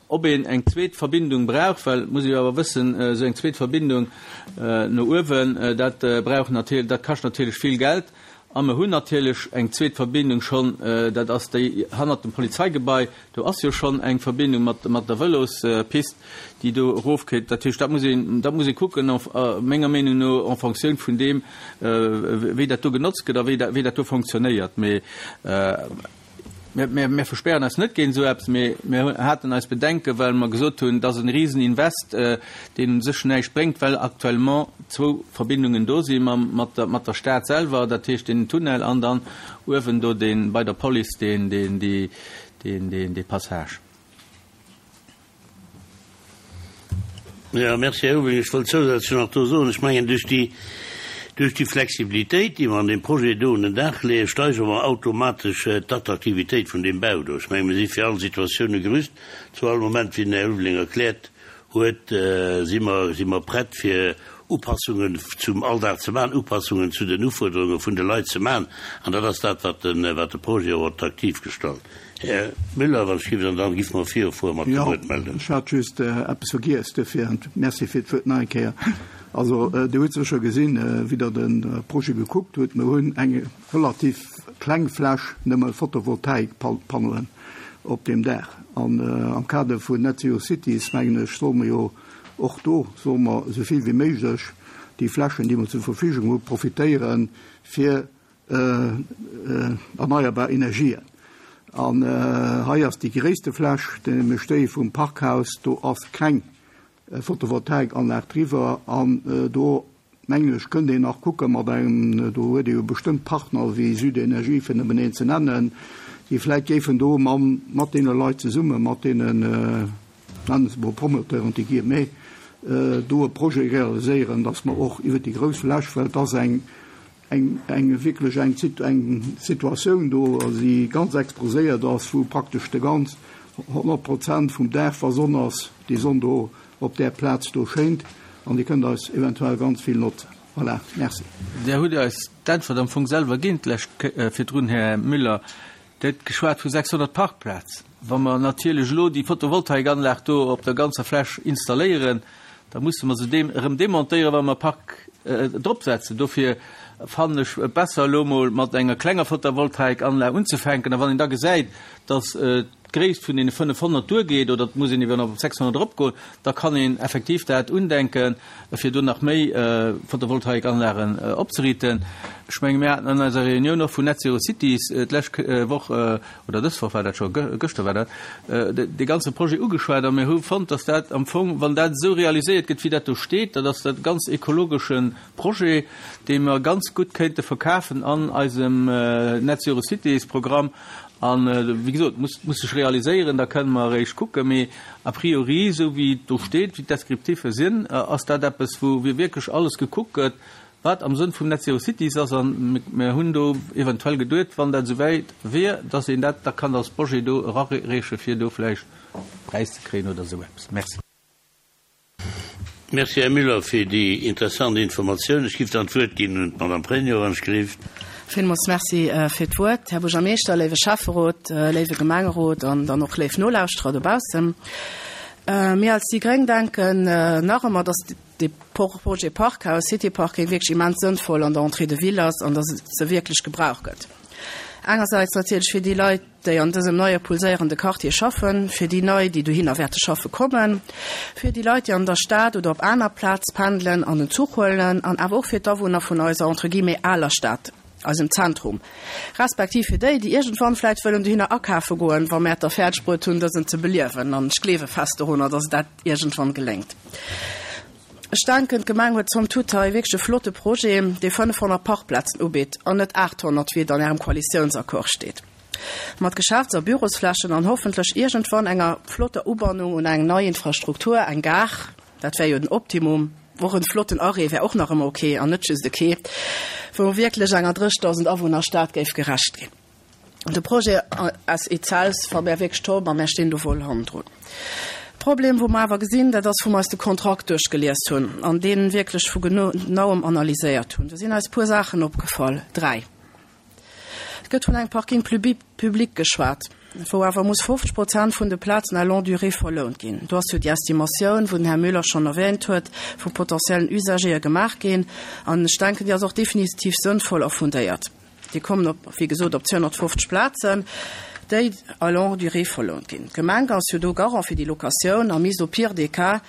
ob een eng zweet Verbindung brauch, well, muss ee jo awer wëssen, esou eng zweet Verbindung no uewen, dat brauch natierlech, dat kascht natierlech vill Geld. A mer hunn natierlech eng zweet Verbindung schonn, dat ass déi hannert dem Polizeigebai. Do ass jo schonn eng Verbindung mat, mat der Vëlospist, déi do erofkéint. Dat heescht, dat muss een, dat muss ee kucken, menger Meenung no, en fonction vun deem, wéi dat do genotzt gëtt a wéi dat, wéi dat do fonctionnéiert. Mee mir, mir verspären eis net géint esou eppes, mee mir haten eis Bedenken, well mer gesot hunn, dat ass en Rieseninvest, deen u sech näischt bréngt, well actuellement zwou Verbindungen do si mam, mat der, mat der Stad selwer, dat heescht den Tunnel an dann uewen do deen, bei der Police deen, deen, déi, deen, deen, dee Passage. Ja, merci, Här Ulveling. Ech wollt zousätzlech nach do soen, ech mengen, duerch déi, duerch déi Flexibilitéit, déi mer an deem Projet do un den Dag leeën, steigere mer automatesch d'Attraktivitéit vun deem Bau do. Ech mengen, mir si fir all Situatioune gerüst, zu all Moment, wéi den Här Ulveling erkläert huet, si mer, si mer prett fir Upassungen zum Alldag ze maachen, Upassungen zu den Ufuerderunge vun de Leit ze maachen. An dat ass dat, wat den, wat de Projet och attraktiv gestalt. Här Müller, wann ech giff, an dann giff mer virufuere mat de Wuertmeldungen. Jo, ech hat just eppes vergiess, duerfir Merci fir d'Wuert nach eng Kéier. Also, Dir hutt sécher gesinn, wéi Der de Projet gekuckt hutt, mer hunn eng relativ kleng Fläch nëmme Photovoltaikpanneauen op deem Daach. An am Kader vun Net Zero Cities, mengen ech, solle mer jo och do, solle mer esou vill wéi méiglech déi Flächen, déi mer zur Verfügung hu, profitéieren fir erneierbar Energien. An hei ass déi gréisste Fläch, nämlech déi vum Parkhaus, do ass keng Photovoltaikanlag driwwer an do, mengen ech, kënnt een nach kucke mat engem, do huet ee jo bestëmmt Partner wéi Südenergie, fir nëmmen een ze nennen, déi vläicht géifen do mam, mat deene Leit zesumme, mat deenen, nennen se mol Promoteuren, entre guillemets, do e Projet realiséieren, dass mer och iwwert déi grouss Fläch, well et ass eng, eng, eng wierklech eng, eng Situatioun do, déi ganz exposéiert ass, wou praktesch de ganz honnert Prozent vum Dag, wa Sonn ass, déi Sonn do op där Plaz do schéint an déi kënnt eis eventuell ganz vill notzen. Voilà, merci. Där hutt eis d'Äntwert am Fong selwer ginn d'lescht virdrun, Här Müller. Dir hutt geschwat vu sechshonnert Parkplazen. Wa mer natierlech elo déi Photovoltaikanlag do op der ganzer Fläch installéieren, da musse mer se deem erëm demontéieren, wa mer Park dropsetzen. Dofir fannen ech et besser, elo emol mat enger klenger Photovoltaikanlag unzefänken. A wann een da gesäit, dass d'Gréisst vun deene fënnefhonnert duergeet oder et muss een iwwer op sechshonnert eropgoen, da kann een effektiv dat undenken, fir do nach méi Photovoltaikanlagen opzeriiten. Ech menge mir haten an eiser Reunioun och vun Net Zero Cities d'lescht Woch, oder dës Woch war dat scho, gëschter war dat, dee ganze Projet ugeschwat a mir hu fonnt, dass dat am Fong, wann dat esou realiséiert gëtt, wéi dat do steet, dat ass dat ganz ekologesche Projet, dee mer ganz gutt kéinte verkafen an eisem Net Zero Cities Programm. An, wéi gesot, muss, muss sech realiséieren, da kënne mer eréischt kucken. Mee a priori, esou wéi et do steet, wéi d'Descriptiffe sinn, ass dat eppes, wou wierklech alles gekuckt gëtt, wat am Sënn vum Net Zero Cities ass. An mir hunn do eventuell geduet, wann dat esouwäit wier, dass een dat da kann als Projet do erareeche fir do vläicht Präis ze kréien oder esou eppes. Merci. Merci, Här Müller, fir déi interessant Informatioun. Ech géif dann d'Wuert ginn un d'Madame Pregno, wann ech gelift. Villmools Merci fir d'Wuert, Här Buergermeeschter, léiwe Schäfferot, léiwe Gemengerot an dann och léif Nolauschterer dobaussen. Mir als déi Gréng denken nach ëmmer, dass dee Projet Parkhaus, City Parking wierklech immens sënnvoll an der Entrée de ville ass an dass et se wierklech gebraucht gëtt. Engersäits natierlech fir déi Leit, déi an dësem neie pulséierende Quartier schaffen, fir déi nei, déi dohinner wäerte schaffe kommen, fir déi Leit, déi an der Stad oder op aner Plaz pendelen an den Zuch huelen an awer och fir d'Awunner vun eiser entre guillemets aler Stad, eisem Zentrum, respektiv fir déi, déi iergendwann vläicht wëllen dohinner akafe goen, wa mär et da fäerdeg bruet hunn, dësen ze beliewen. An ech gleewe fest dorunner, dass dat iergendwann geléngt. Ech denken, d'Gemeng huet somme toute hei wierklech e flotte Projet, dee fënnefhonnert Parkplazen ubitt an net aathonnert, wéi et an Ärem Koalitiounsaccord steet. Mat Geschäfts a Bürosflächen an hoffentlech iergendwann enger flotter Ubannung un eng nei Infrastruktur, eng Gare, dat wär jo den Optimum, och en flotten Arrêt wär och nach ëmmer ok an net just e Quai, wou wierklech enger dréchtausend Awunner-Stad géif gerecht ginn. De Projet as itself fanne mär wierklech top a mär stinn do voll hannendrun. Problem, wou mer awer gesinn, dat ass, wou mer eis de Kontrakt duerchgelies hunn an dee wierklech vu genauem analyséiert hunn. Do sinn eis e puer Saachen opgefall, dräi. Et gëtt vun engem Parking public geschwat, wou awer muss fofzeg Prozent vun de Plazen à longue durée verlount ginn. Do ass jo déi Estimatioun, wou den Här Müller schonn erwähnt huet, vu potentiellen Usagere gemaach ginn. An ech denken, déi ass och definitiv sënnvoll a fundéiert. Déi kommen op, wéi gesot, op zweehonnertfofzeg Plazen, déi à longue durée verlount ginn. D'Gemeng ass jo do Garant fir déi Locatioun a misst au pire des cas,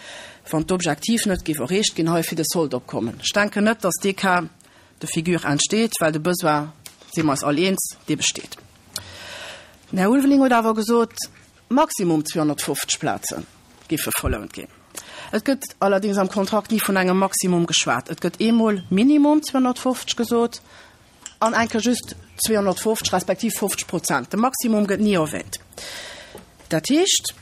wann d'Objektiv net géif erreecht ginn, hei fir de Solde opkommen. Ech denken net, dass dee Cas de figure entsteet, well de Besoin, si mer eis all eens, dee besteet. Den Här Ulveling huet awer gesot, maximum zweehonnertfofzeg Plaze géife verlount ginn. Et gëtt allerdéngs am Kontrakt ni vun engem Maximum geschwat. Et gëtt eemol minimum zweehonnertfofzeg gesot an eng Kéier just zweehonnertfofzeg respektiv fofzeg Prozent. De Maximum gëtt ni erwähnt. Dat heescht,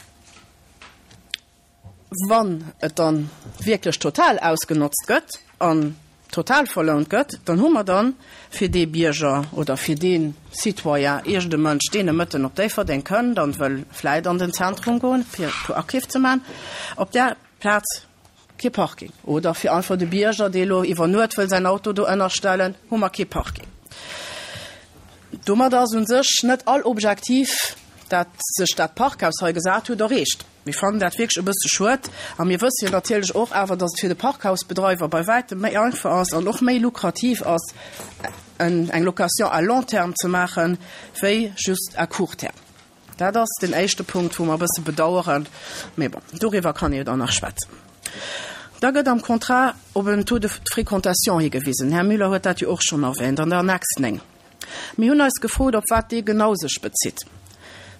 wann et dann wierklech total ausgenotzt gëtt an total verlount gëtt, dann hu mer dann fir dee Bierger oder fir dee Citoyen, iergende Mënsch, deen e Mëtten op Déifferdeng kënnt an wëll vläit an den Zentrum goen, fir e puer Akeef ze maachen, op där Plaz kee Parking. Oder fir einfach de Bierger, dee lo iwwer Nuet wëll säin Auto do ënnerstellen, hu mer kee Parking. Domat ass u sech net all Objektiv, dat sech dat Parkhaus hei gesat huet, erreecht. Mir fannen dat wierklech e bësse schued a mir wësse jo natierlech och awer, dass et fir de Parkhausbedreiwer bei wäitem méi einfach ass an och méi lukrativ ass, eng Location à long terme ze maachen, wéi just à court terme. Dat ass den éischte Punkt, wou mer e bësse bedauern. Mee bon, doriwwer kann ee jo dann nach schwätzen. Da gëtt am Contrat op en Taux de fréquentation higewisen. Här Müller huet dat jo och schonn erwähnt an der Annex néng. Mir hunn eis gefrot, op wat dee genau sech bezitt.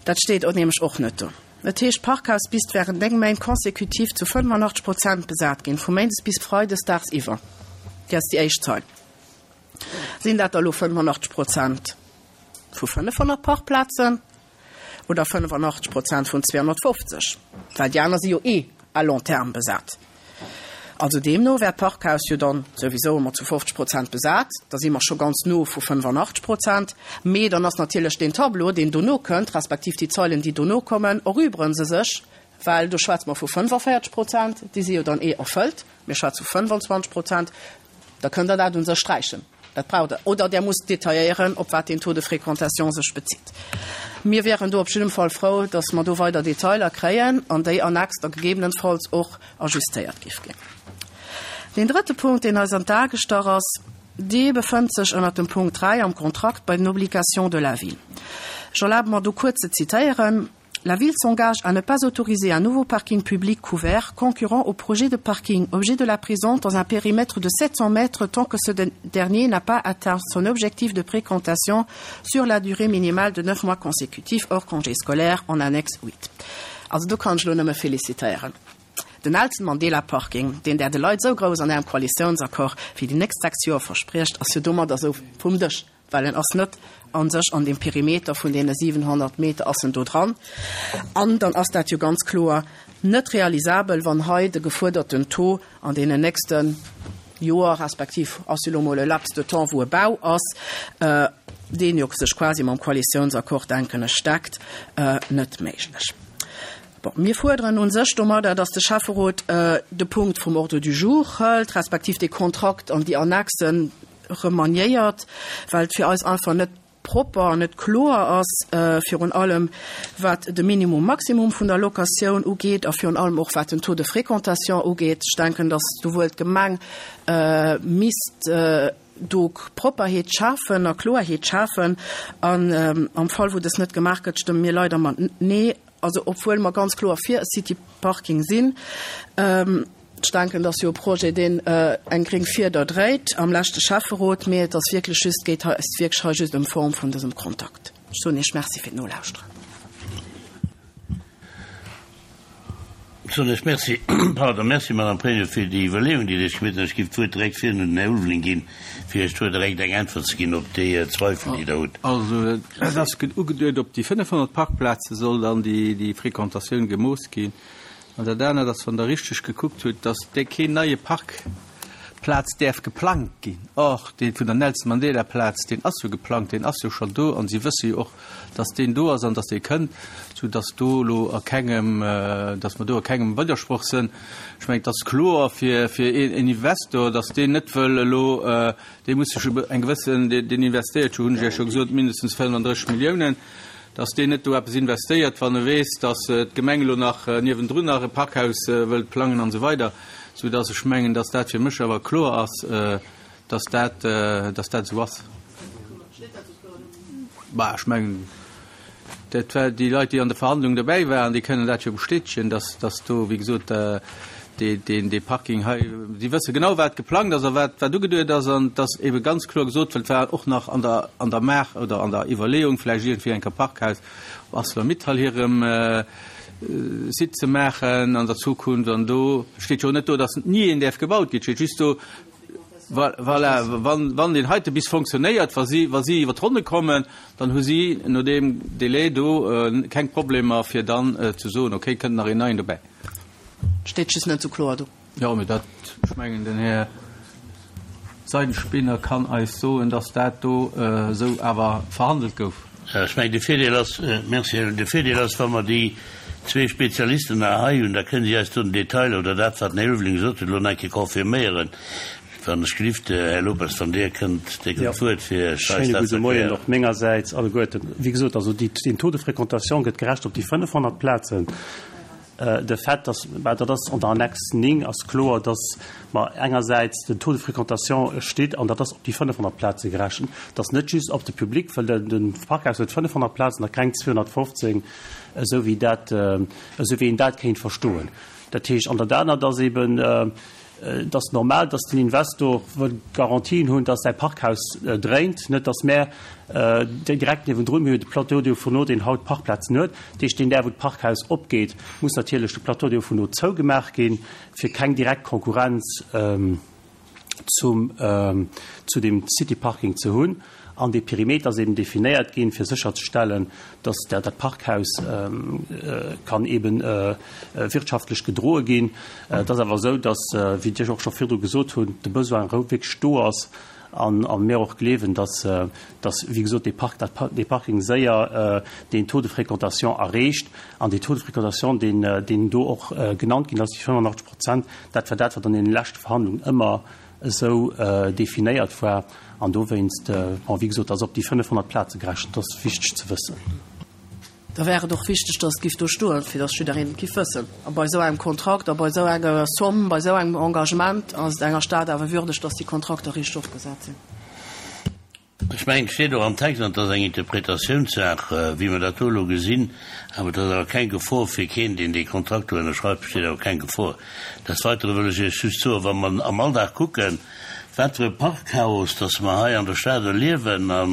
Dat steet och nämlech och net do. Et heescht, d'Parkhaus misst während néng Méint consécutif zu fënnefenachtzeg Prozent besat ginn, vu méindes bis freides dagsiwwer. Déi ass déi éischt Zeil. Sinn dat da lo fënnefenachtzeg Prozent vu fënnefhonnert Parkplazen oder fënnefenachtzeg Prozent vun zweehonnertfofzeg? Well déi aner si jo eh à long terme besat. Also deemno wär d'Parkhaus jo dann souwisou ëmmer zu fofzeg Prozent besat, da si mer scho ganz no vu fënnefenachtzeg Prozent. Mee dann ass natierlech deen Tableau, deen dono kënnt, respektiv déi Zeilen, déi dono kommen, erübregen se sech, well do schwätze mer vu fënnefenvéierzeg Prozent, déi si jo dann eh erfëllt, mir schwätze vu fënnefenzwanzeg Prozent, da kënnt Der dat u sech sträichen. Dat braucht Der. Oder Der musst detailléieren, op wat deen Taux de fréquentation sech bezitt. Mir wären do op jidde Fall frou, dass mer do weider Detailer kréien an déi Annex da gegebenenfalls och ajustéiert géif ginn. Den drëtte Punkt, deen eis an d'A gestach ass, dee befënnt sech ënnert dem Punkt dräi am Kontrakt bei den Obligations de la Ville. Ech erlabe mer do kuerz ze zitéieren. La ville s'engage à ne pas autoriser un nouveau parking public couvert concurrent au projet de parking objet de la présente dans un périmètre de sept cents mètres tant que ce dernier n'a pas atteint son objectif de fréquentation sur la durée minimale de neuf mois consécutifs hors congé scolaire en annexe huit. Also do kann ech lo nëmme félicitéieren. Den Nelson Mandela Parking, deen Der de Leit esou grouss an Ärem Koalitiounsaccord fir déi nächst sechs Joer verspriecht, ass jo domadder esou vum Dësch, well en ass net an sech an dem Perimeter vun deene siwenhonnert Meter ass en do dran. An dann ass dat jo ganz kloer net realisabel, wann hei de gefuerderten Taux an deenen nächste Joer, respektiv ass jo lo mol e Laps de temps, wou e Bau ass, deen jo sech quasi mam Koalitiounsaccord, denken ech, deckt, net méiglech. Bon, mir fuerderen un sech domadder, dass de Schäfferot de Punkt vum Ordre du jour hëlt, respektiv dee Kontrakt an déi Annexen remaniéiert, well et fir eis einfach net propper an net kloer ass, virun allem wat de Minimum Maximum vun der Locatioun ugeet a virun allem och wat den Taux de fréquentation ugeet. Ech denken, dass do wuel d'Gemeng misst do Propperheet schafen a Kloerheet schafen. An am Fall wou dës net gemaach gëtt, stëmme mir leider mat Nee, also obwuel mer ganz kloer fir e City Parking sinn. Ech denken, dat ass jo e Projet, deen eng gréng Fieder dréit am leschte Schäfferot, mee et ass wierklech just, geet hei, ass wierklech hei just ëm Form vun dësem Kontakt. Ech soen Iech Merci fir d'Nolauschteren. Ech soen Iech Merci, pardon, Merci, Madame Pregno, fir déi Iwwerleeung, déi Dir Iech gemaach hutt. Ech géif d'Wuert direkt virun un den Här Ulveling ginn, fir Iech do direkt eng Äntwert ze ginn op déi Zweifel, déi Der hutt. Also, et ass ugeduet, op déi fënnefhonnert Parkplaze soll dann déi Fréquentatioun gemooss ginn. An dat anert ass, wann Der richteg gekuckt hutt, dass dee keen neie Parkplaz däerf geplangt ginn. Or, dee vun der Nelson Mandela Plaz, deen ass jo geplangt, deen ass jo schonn do an si wësse jo och, dass deen do ass an dass dee kënnt, soudass do elo a kengem, dass mer do a kengem Widdersproch sinn. Ech mengen, et ass kloer fir, fir een Investor, dass deen net wëll elo, dee muss sech eng gewëssen, deen investéiert jo, hunn ech Iech scho gesot, mindestens fënnefandrësseg Milliounen, dass deen net do eppes investéiert, wann e weess, dass d'Gemeng elo nach niewendrun nach e Parkhaus wëllt plangen an esou weider, soudass ech mengen, dass dat fir mech awer kloer ass, dass dat, dass dat esou ass. Bah, ech mengen, dat war déi Leit, déi an de Verhandlungen dobäi waren, déi kënnen dat jo bestätegen, dass, dass do, wéi gesot, dee, deen, dee Parking hei, si wësse genau, wat geplangt ass a wat, wat ugeduet ass, an et ass ebe ganz kloer gesot, well et war och nach an der, an der Maach oder an der Iwwerleeung, vläicht iergendwéi eng Kéier Parkhaus op Arcelor-Mittal hirem Site ze maachen an der Zukunft. An do steet jo net do, dass ni een däerf gebaut ginn, et steet just do, voilà, wann, wann deen heite bis fonctionnéiert, wa si, wa si iwwer d'Ronne kommen, dann hu si no deem Délai do keng Problemer, fir dann ze soen, okay, kënnt nach een neien dobäi. Steet just net sou kloer do. Jo, mee dat, ech mengen, den Här Seidenspinner kann eis soen, dass dat do esou awer verhandelt gouf. Ech mengen, de Virdeel ass, merci, de Virdeel ass, wa mer déi zwee Spezialisten nach hei hunn, da kënnen si eis do den Detail oder dat, wat den Här Ulveling gesot huet, elo nach eng Kéier confirméieren. Wann ech gelift, Här Lopes, wann Dir kënnt, Dir kritt d'Wuert, fir eis Schéine dat gudde ze Moien erklären. och mengersäits alleguerten. Wéi gesot, also déi, den Taux de fréquentation gëtt gerechent op déi fënnefhonnert Plazen. De Fait, dass, bah, dat ass an der Annex néng ass kloer, dass mer engersäits den Taux de fréquentation steet an dat ass op déi fënnefhonnert Plaze gerechent. Dat ass net just op de Public, well den, den Parkhaus huet fënnefhonnert Plazen a keng zweehonnertfofzéng, esou wéi dat, esou wéi een dat kéint verstoen. Dat heescht, an dat anert ass eben, et ass normal, dass den Investor wëll Garantien hunn, dass säi Parkhaus dréint, net dass mär direkt niewendrun, mir hunn de Plateau des Hauts-Fourneaux, deen haut Parkplazen huet, dat heescht, deen Dag, wou d'Parkhaus opgeet, muss natierlech de Plateau des Hauts-Fourneaux zougemaach ginn, fir keng direkt Konkurrenz zum, zu dem City Parking ze hunn. An dee Perimeter ass eben definéiert ginn, fir sécherzestellen, dass dat Parkhaus kann eben wirtschaftlech gedroe ginn. Et ass awer esou, dass, wéi ech och scho virdru gesot hunn, de Besoin wierklech do ass an mir och gleewen, dass, dass wéi gesot, dee Park, dat dee Parking séier deen Taux de fréquentation erreecht. An dee Taux de fréquentation, deen, deen do och genannt ginn ass, déi fënnefenachtzeg Prozent, dat war dat, wat an deene leschte Verhandlungen ëmmer esou definéiert war. An dowéinst, bon, wéi gesot, ass op déi fënnefhonnert Plaze gerechent, dat ass wichteg ze wëssen. Da wär et och wichteg, dass et giff do stoen, fir dass jiddereen et giff wëssen. A bei esou engem Kontrakt a bei esou enger Somme, bei esou engem Engagement ass et enger Stad awer würdeg, dass déi Kontrakter riicht ofgesat sinn. Ech mengen, et steet och am Text, an et ass eng Interpretatiounssaach, wéi mer dat do elo gesinn, awer et ass awer keng Gefor fir keen, deen dee Kontrakt do ënnerschreift, besteet awer keng Gefor. Des Weitere wëll ech Iech just soen, wa mer am Alldag kucken, wat fir e Parkchaos dass mer hei an der Stad erliewen a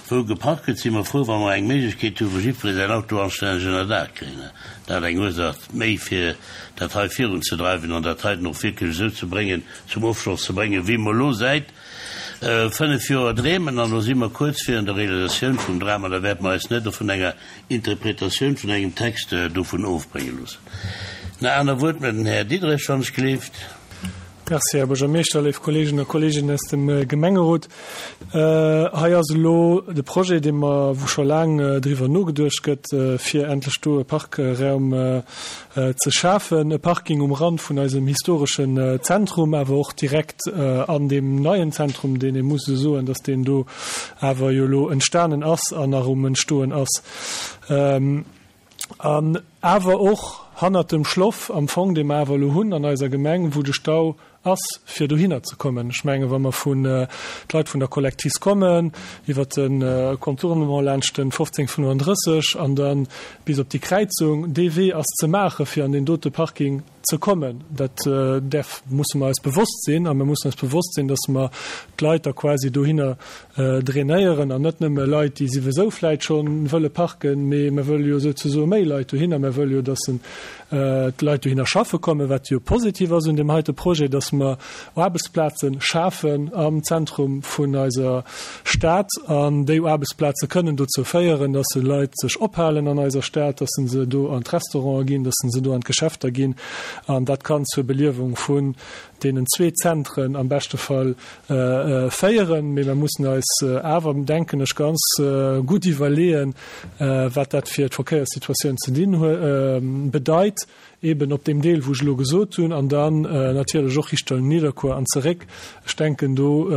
wou geparkt gëtt, si mer frou, wa mer eng Méiglechkeet hu wou jiddweree säin Auto anstänneg ënner Daach kréien. Dat eng Ursaach méi fir dat hei virunzedreiwen an dat heiten och wierklech esou ze bréngen, zum Ofschloss ze bréngen, wéi mer elo säit fënnef Joer dreemen. An elo si mer kuerz virun der Realisatioun vum Dram an da wäerte mer eis net vun enger Interpretatioun vun engem Text dovun ofbrénge loossen. Na, aner Wuert mit den Här Diderich, wann ech gelift. Merci, Här Buergermeeschter, léif Kolleegen a Kolleeginnen aus dem Gemengerot. Hei ass elo de Projet, dee mer, wou scho laang driwwer nogeduecht gëtt, fir endlech do e Parkraum ze schafen, e Parking um Rand vun eisem historeschen Zentrum, awer och direkt an deem neien Zentrum, deen ee muss esou soen, dass deen do awer jo elo entstanen ass an nach um Entstoen ass. An awer och hannert dem Schloff am Fong, dee mer awer elo hunn an eiser Gemeng, wou de Stau ass, fir dohinner ze kommen. Ech menge wa mer vun d'Leit vun der Collectis kommen, iwwer de Contournement laanscht den fofzéng fënnefandrësseg an dann bis op déi Kräizung, dee Wee ass ze maache fir an deen dote Parking ze kommen. Dat däerf, musse mer eis bewosst sinn a mir mussen eis bewosst sinn, datt mer d'Leit da quasi dohinner drainéieren an net nëmme Leit, déi souwisou vläit schonn wëlle parken, mee mer wëlle jo souzesoe méi Leit dohinner. Mer wëlle jo, datt d'Leit dohinner schaffe kommen, wat jo positiv ass un deem heite Projet, datt mer Aarbechtsplaze schafen am Zentrum vun eiser Stad an déi Aarbechtsplaze kënnen dozou féieren, datt se Leit sech ophalen an eiser Stad, datt se do an d'Restaurante ginn, datt se do an d'Geschäfter ginn an dat kann zur Beliewung vun deenen zwee Zentren am beschte Fall féieren. Mee mer mussen eis awer, denken ech, ganz gutt iwwerleeën, wat dat fir d'Verkéierssituatioun ze dinn bedeit, eben op deem Deel, wou ech elo gesot hunn, an dann natierlech och Richtung Nidderkuer an zeréck. Ech denken, do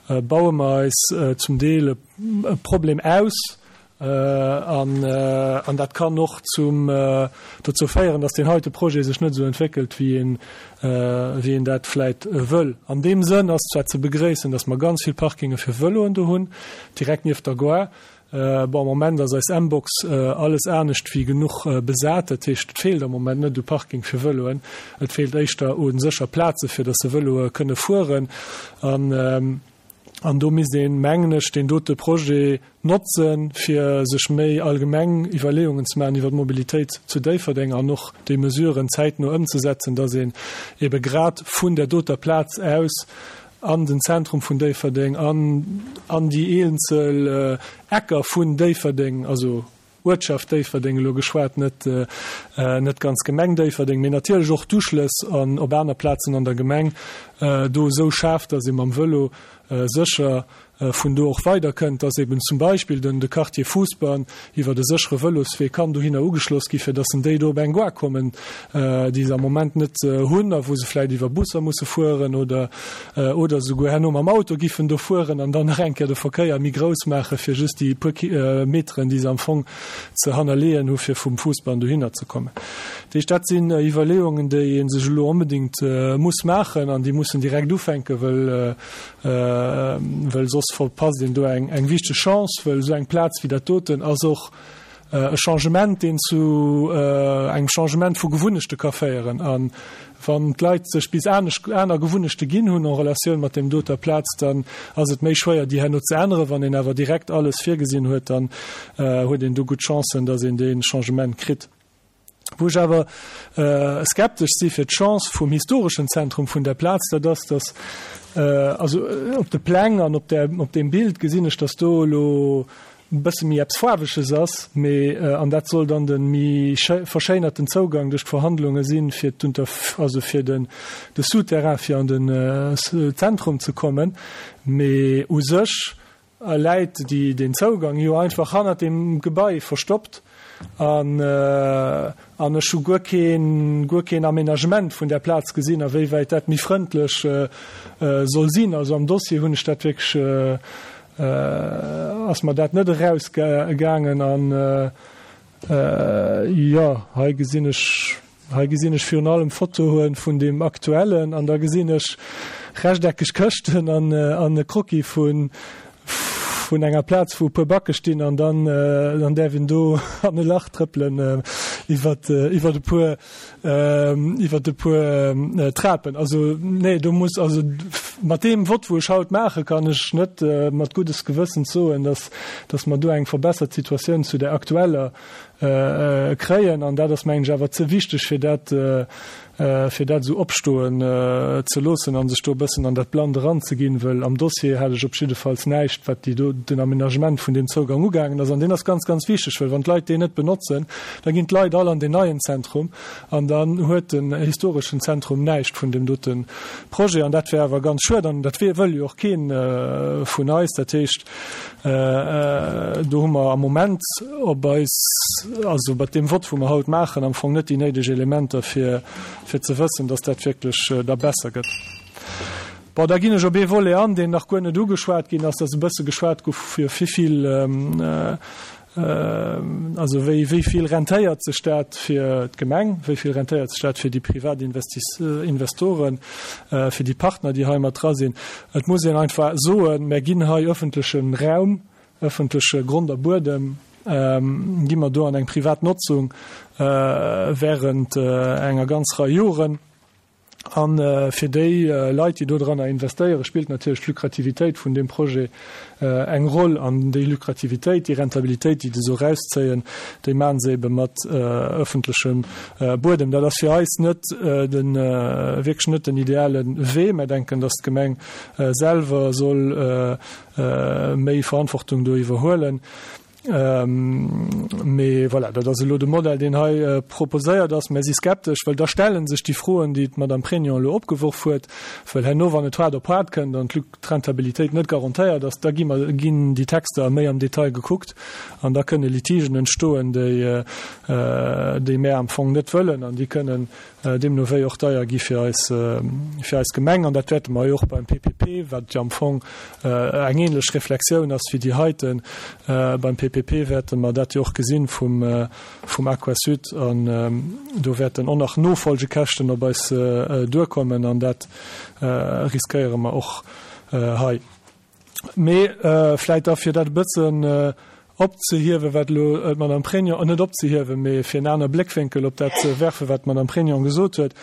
baue mer eis zum Deel e Problem aus, an an dat kann och zum dozou féieren, datt deen heite Projet sech net esou entwéckelt, wéi een wéi een dat vläit wëll. An deem Sënn ass zwar ze begréissen, datt mer ganz vill Parkinge fir Vëloen do hunn, direkt nieft der Gare. Bon, am Moment ass eis M-Box alles anescht wéi genuch besat, dat heescht, et feelt am Moment net u Parking fir Vëloen, et feelt éischter u sécher Plaze fir datt se Vëloe kënne fueren. An an do misst een, mengen ech, deen dote Projet notzen, fir sech méi allgemeng Iwwerleeungen ze maachen iwwer d'Mobilitéit zu Déifferdeng an och déi Mesuren zäitno ëmzesetzen, datt een ebe grad vun der doter Plaz aus an den Zentrum vun Déifferdeng, an an déi eenzel Ecker vun Déifferdeng, also Uertschaft Déifferdeng elo geschwat, net net ganz Gemeng Déifferdeng, mee natierlech och d'Uschlëss an op aner Plazen an der Gemeng do esou schaaft, datt ee mam Vëlo sécher vun do och weiderkënnt, dass eben zum Beispill den de Quartier Fousbann iwwert e séchere Vëloswee kann dohinner ugeschloss gi fir dass en déi do op eng Gare kommen, déi se am Moment net hunn a wou se vläicht iwwer Busser musse fueren oder oder souguer herno mam Auto giffen do fueren an dann nach eng Kéier de Verkéier méi grouss maache fir just déi puer Meteren, déi se am Fong ze hannerleeën hu fir vum Fousbann dohinner ze kommen. Dat heescht, dat sinn Iwwerleeungen, déi ee sech elo onbedéngt muss maachen an déi mussen direkt ufänken, well well soss verpasst een do eng eng wichteg Chance, well esou eng Plaz wéi dat doten ass och e Changement, deen zu engem Changement vu Gewunnechte ka féieren. A wann d'Leit sech bis anescht aner Gewunnechte ginn hunn en Relatioun mat deem doter Plaz, dann ass et méi schwéier, déi herno ze änneren. Wann een awer direkt alles virgesinn huet, dann huet een do gutt Chancen, datt een dee Changement kritt. Wou ech awer skeptesch si fir d'Chance vum historeschen Zentrum vun där Plaz, dat ass, datt, also op de Pläng an op där, op deem Bild gesinn ech, datt do elo e bësse méi eppes Faarweges ass, mee, an dat soll dann de méi verschéinerten Zougang duerch d'Verhandlunge sinn, fir d'Unter, also fir den, de Souterrain fir an den Zentrum ze kommen, mee u sech läit déi, deen Zougang jo einfach hannert deem Gebai verstoppt. An an ech hu guer keen, guer keen Aménagement vun där Plaz gesinn, a wéi wäit dat méi frëndlech soll sinn. Also am Dossier hunn ech dat wierklech, ass mer dat net erausgaangen. An jo, hei gesinn ech, hei gesinn ech virun allem Fotoe vun deem aktuellen an da gesinn ech rechteckeg Këschten an an e Croquis vun vun enger Plaz, wou e puer Backe stinn an dann dann däerf een do an e Lach trëppelen iwwert iwwert e puer iwwert e puer Trapen. Also nee, do muss also mat deem Vott, wou ech haut maachen, kann ech net mat guddes Gewëssens soen, dass dass mer do eng verbessert Situatioun zu där aktueller kréien. An dat ass, mengen ech, awer ze wichteg, fir dat fir dat esou opstoen ze loossen a sech do e bëssen an dat Blannt eranzeginn, wëll am Dossier hat ech op jiddefalls näischt, wat déi do, den Aménagement vun deem Zougang ugaangen ass. An deen ass ganz, ganz wichteg, wëll wann d'Leit deen net benotzen, da ginn d'Leit all an deen neien Zentrum an dann huet den historeschen Zentrum näischt vun deem dote Projet. An dat wär awer ganz schued an dat wëll jo och kee vun eis. Dat heescht, do hu mer am Moment op eis, also mat deem Vott, wou mer haut maachen, am Fong net déi néideg Elementer, fir, fir ze wëssen, dass dat wierklech da besser gëtt. Bon, da ginn ech op ee Volet an, deen nach guer net ugeschwat ginn ass. Et ass e bësse geschwat gi fir wéivill, also wéi, wéi vill rentéiert sech dat fir d'Gemeng, wéi vill rentéiert sech dat fir déi privat Investoren, fir déi Partner, déi hei mat dra sinn. Et muss een einfach soen, mer ginn hei öffentleche Raum, öffentleche Grond a Buedem, gi mer do an eng privat Notzung während enger ganz Rei Joren. A fir déi Leit, déi dodranner investéieren, spillt natierlech d'Lukrativitéit vun deem Projet eng Roll. An déi Lukrativitéit, déi Rentabilitéit, déi se esou erauszéien, déi maache se ebe mat öffentlechem Buedem. Dat ass fir eis net de, wierklech net den ideale Wee. Mir denken, dass d'Gemeng selwer soll méi Verantwortung do iwwerhuelen. Mee voilà, dat ass elo de Modell, deen hei proposéiert ass. Mir si skeptesch, well da stelle sech déi Froen, déi d'Madame Pregno elo opgeworf huet, well herno, wann et haart op haart kënnt an d'Rentabilitéit net garantéiert ass, da gi mer, ginn déi Texter méi am Detail gekuckt an da kënne Litigen entstoen, déi, déi mär am Fong net wëllen an déi kënnen deemno wéi och deier gi fir eis, fir eis Gemeng. An dat wäerte mer jo och beim P P P, wat jo am Fong eng ähnlech Reflexioun ass wéi déi heiten, beim P P P wäerte mer dat jo och gesinn vum, vum Aquasud. An do wäerten och nach Nofolgekäschten op eis duerkommen an dat riskéiere mer och hei. Mee vläicht da fir dat e bëssen opzehiewen, wat elo d'Madame Pregno, net opzehiewen, mee fir en aner Bléckwénkel op dat ze werfen, wat d'Madame Pregno gesot huet,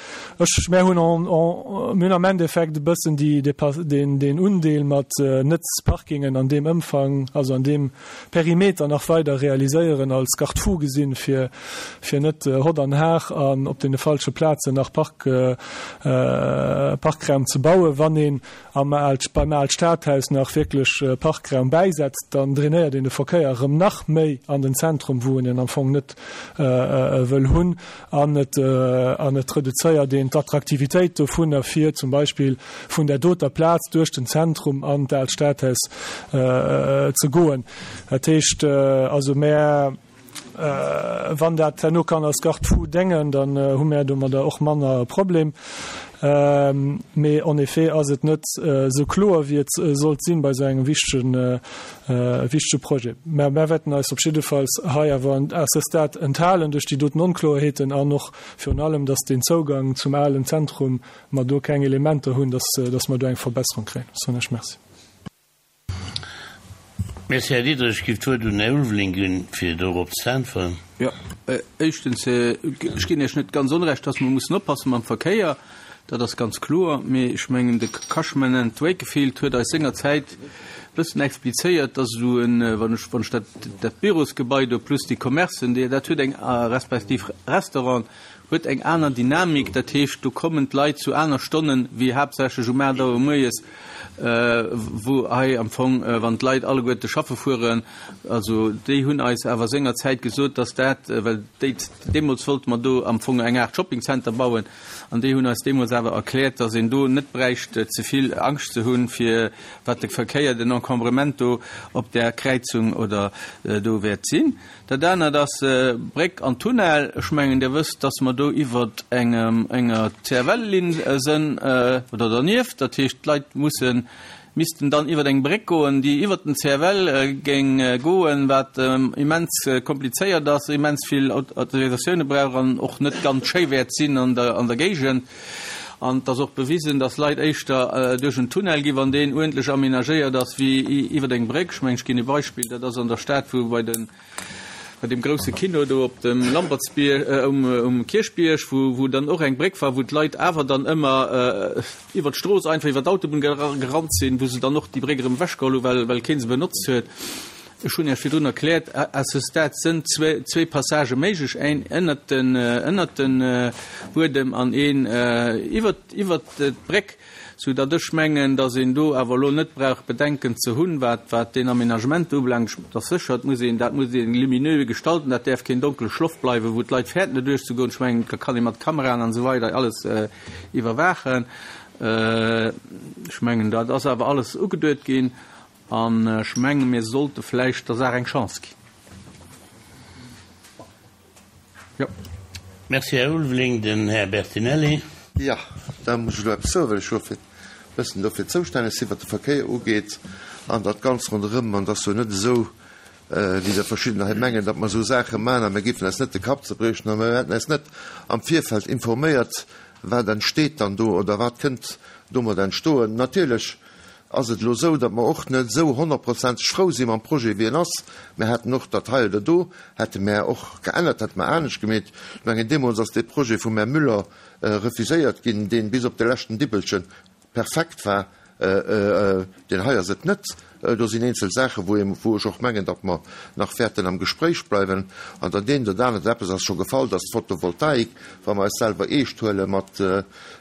ech, mär hunn en, en, mir hunn am Endeffekt e bëssen déi, deen, deen Undeel mat Netzparkingen an deem Ëmfang, also an deem Perimeter nach weider realiséieren als Garde-fou gesinn, fir, fir net hott an har an op deene falsche Plazen nach Park, Parkraum ze bauen. Wann een am Al, beim Alstadhaus nach wierklech Parkraum bäisetzt, dann drainéiert een de Verkéier erëm erëm nach méi an den Zentrum, wou een en am Fong net wëll hunn, an et an et reduzéiert een d'Attraktivitéit dovunner, fir zum Beispill vun där doter Plaz duerch den Zentrum an d'Aalt Stadhaus ze goen. Dat heescht also, mär, wann dat herno kann als Garde-fou déngen, dann hu mär domadder och manner e Problem. Mee en effet ass et net esou kloer, wéi et sollt sinn bei esou engem wichtege, wichtege Projet. Mä mär wäerten eis op jiddefalls hei awer à ce stade enthalen duerch déi doten Onkloerheeten an och virun allem, dass deen Zougang zum alen Zentrum, mer do keng Elementer hunn, dass, dass mer do eng Verbesserung kréien. Soen ech Merci. Merci, Här Diderich. Ech géif d'Wuert un den Här Ulveling ginn, fir dorop ze äntweren. Jo, éischtens, ech ginn Iech net ganz Onrecht, dass mer mussen oppasse mam Verkéier. Dat ass ganz kloer. Mee ech mengen, de Cushman and Wakefield huet eis sengerzäit e bëssen explizéiert, dass esou en, wann ech, wann ech dat, dat Bürosgebai do plus déi Commercen, déi, dat huet eng, respektiv Restauranten, huet eng aner Dynamik, dat heescht, do kommen d'Leit zu aner Stonnen wéi haaptsächlech um aacht Auer moies, wou hei am Fong, wann d'Leit alleguerte schaffe fueren. Also déi hunn eis awer sengerzäit gesot, dass dat, well déi, deemools wollte mer do am Fong eng Aart Shoppingcenter bauen, an déi hunn eis deemools awer erkläert, dass een do net bräicht ze vill Angscht ze hunn, fir wat de Verkéier, den Encombrement do op där Kräizung oder do wäert sinn. Dat anert ass Bréck an Tunnel. Ech mengen, Dir wësst, dass mer do iwwer engem, enger C F L-Linn sënn oder dernieft. Dat heescht, d'Leit mussen, missten dann iwwer eng Bréck goen, déi iwwer den C F L géing goen, wat immens komplizéiert ass, immens vill Autorisatioune brauch an och net ganz schéi wäert sinn an der, an der Géigend. An et ass och bewisen, dass Leit éischter duerch en Tunnel ginn, wann deen uerdentlech aménagéiert ass, wéi iwwer eng Bréck. Ech mengen, ech ginn e Beispill, dat ass an der Stad, wou bei den, bei deem grousse Kino do op dem Lampertsbierg, um, um Kierchbierg, wou, wou dann och eng Bréck war, wou d'Leit awer dann ëmmer iwwer d'Strooss einfach iwwer d'Autobunn gerannt sinn, wou se dann och déi Bréck erëm ewechgeholl hu, well, well kee se benotzt huet. Ech hunn Iech virdrun erkläert, à ce stade sënn zwee, zwee Passagë méiglech, een ënnert den, ënnert den Buedem an een iwwert, iwwert d'Bréck, sou datt ech mengen, datt een do awer elo net brauch Bedenken ze hunn, wat, wat deen Aménagement ubelaangt. Et ass sécher, et muss een, dat muss een lumineux gestalten, dat däerf keen donkele Schloff bleiwen, wou d'Leit fäerten do duerchzegoen. Ech mengen, da kann ee mat Kameraen an esou weider alles iwwerwaachen. Ech mengen, dat ass awer alles ugeduet ginn. An ech menge mir sollte vläicht der Saach eng Chance ginn. Jo. Merci, Här Ulveling. Den Här Bertinelli. Jo, da muss ech elo eppes soen, well ech jo e bëssen dofir zoustänneg sinn, wat de Verkéier ugeet an dat Ganzt ronderëm. An et ass jo net esou, wéi der verschiddener hei mengen, datt mer esou Saache maachen a mir géifen eis net de Kapp zerbriechen a mir hätten eis net am Virfeld informéiert, wat entsteet dann do oder wat kënnt domat entstoen. Natierlech ass et elo esou, datt mer och net esou honnertprozenteg frou si mam Projet, wéi en ass. Mir hätten och dat hei oder do hätte mär och geännert, hätte mer anescht gemeet. Ech mengen, deemools ass dee Projet vum Här Müller refuséiert ginn, deen bis op de leschten Dibbelche perfekt war. Deen hei ass et net. Do sinn eenzel Saachen, wou ee, wou ech och mengen, datt mer nach wäerten am Gespréich bleiwen. An dat eent oder anert, eppes ass scho gefall, datt d'Photovoltaik, wa mer eis selwer eescht huele mat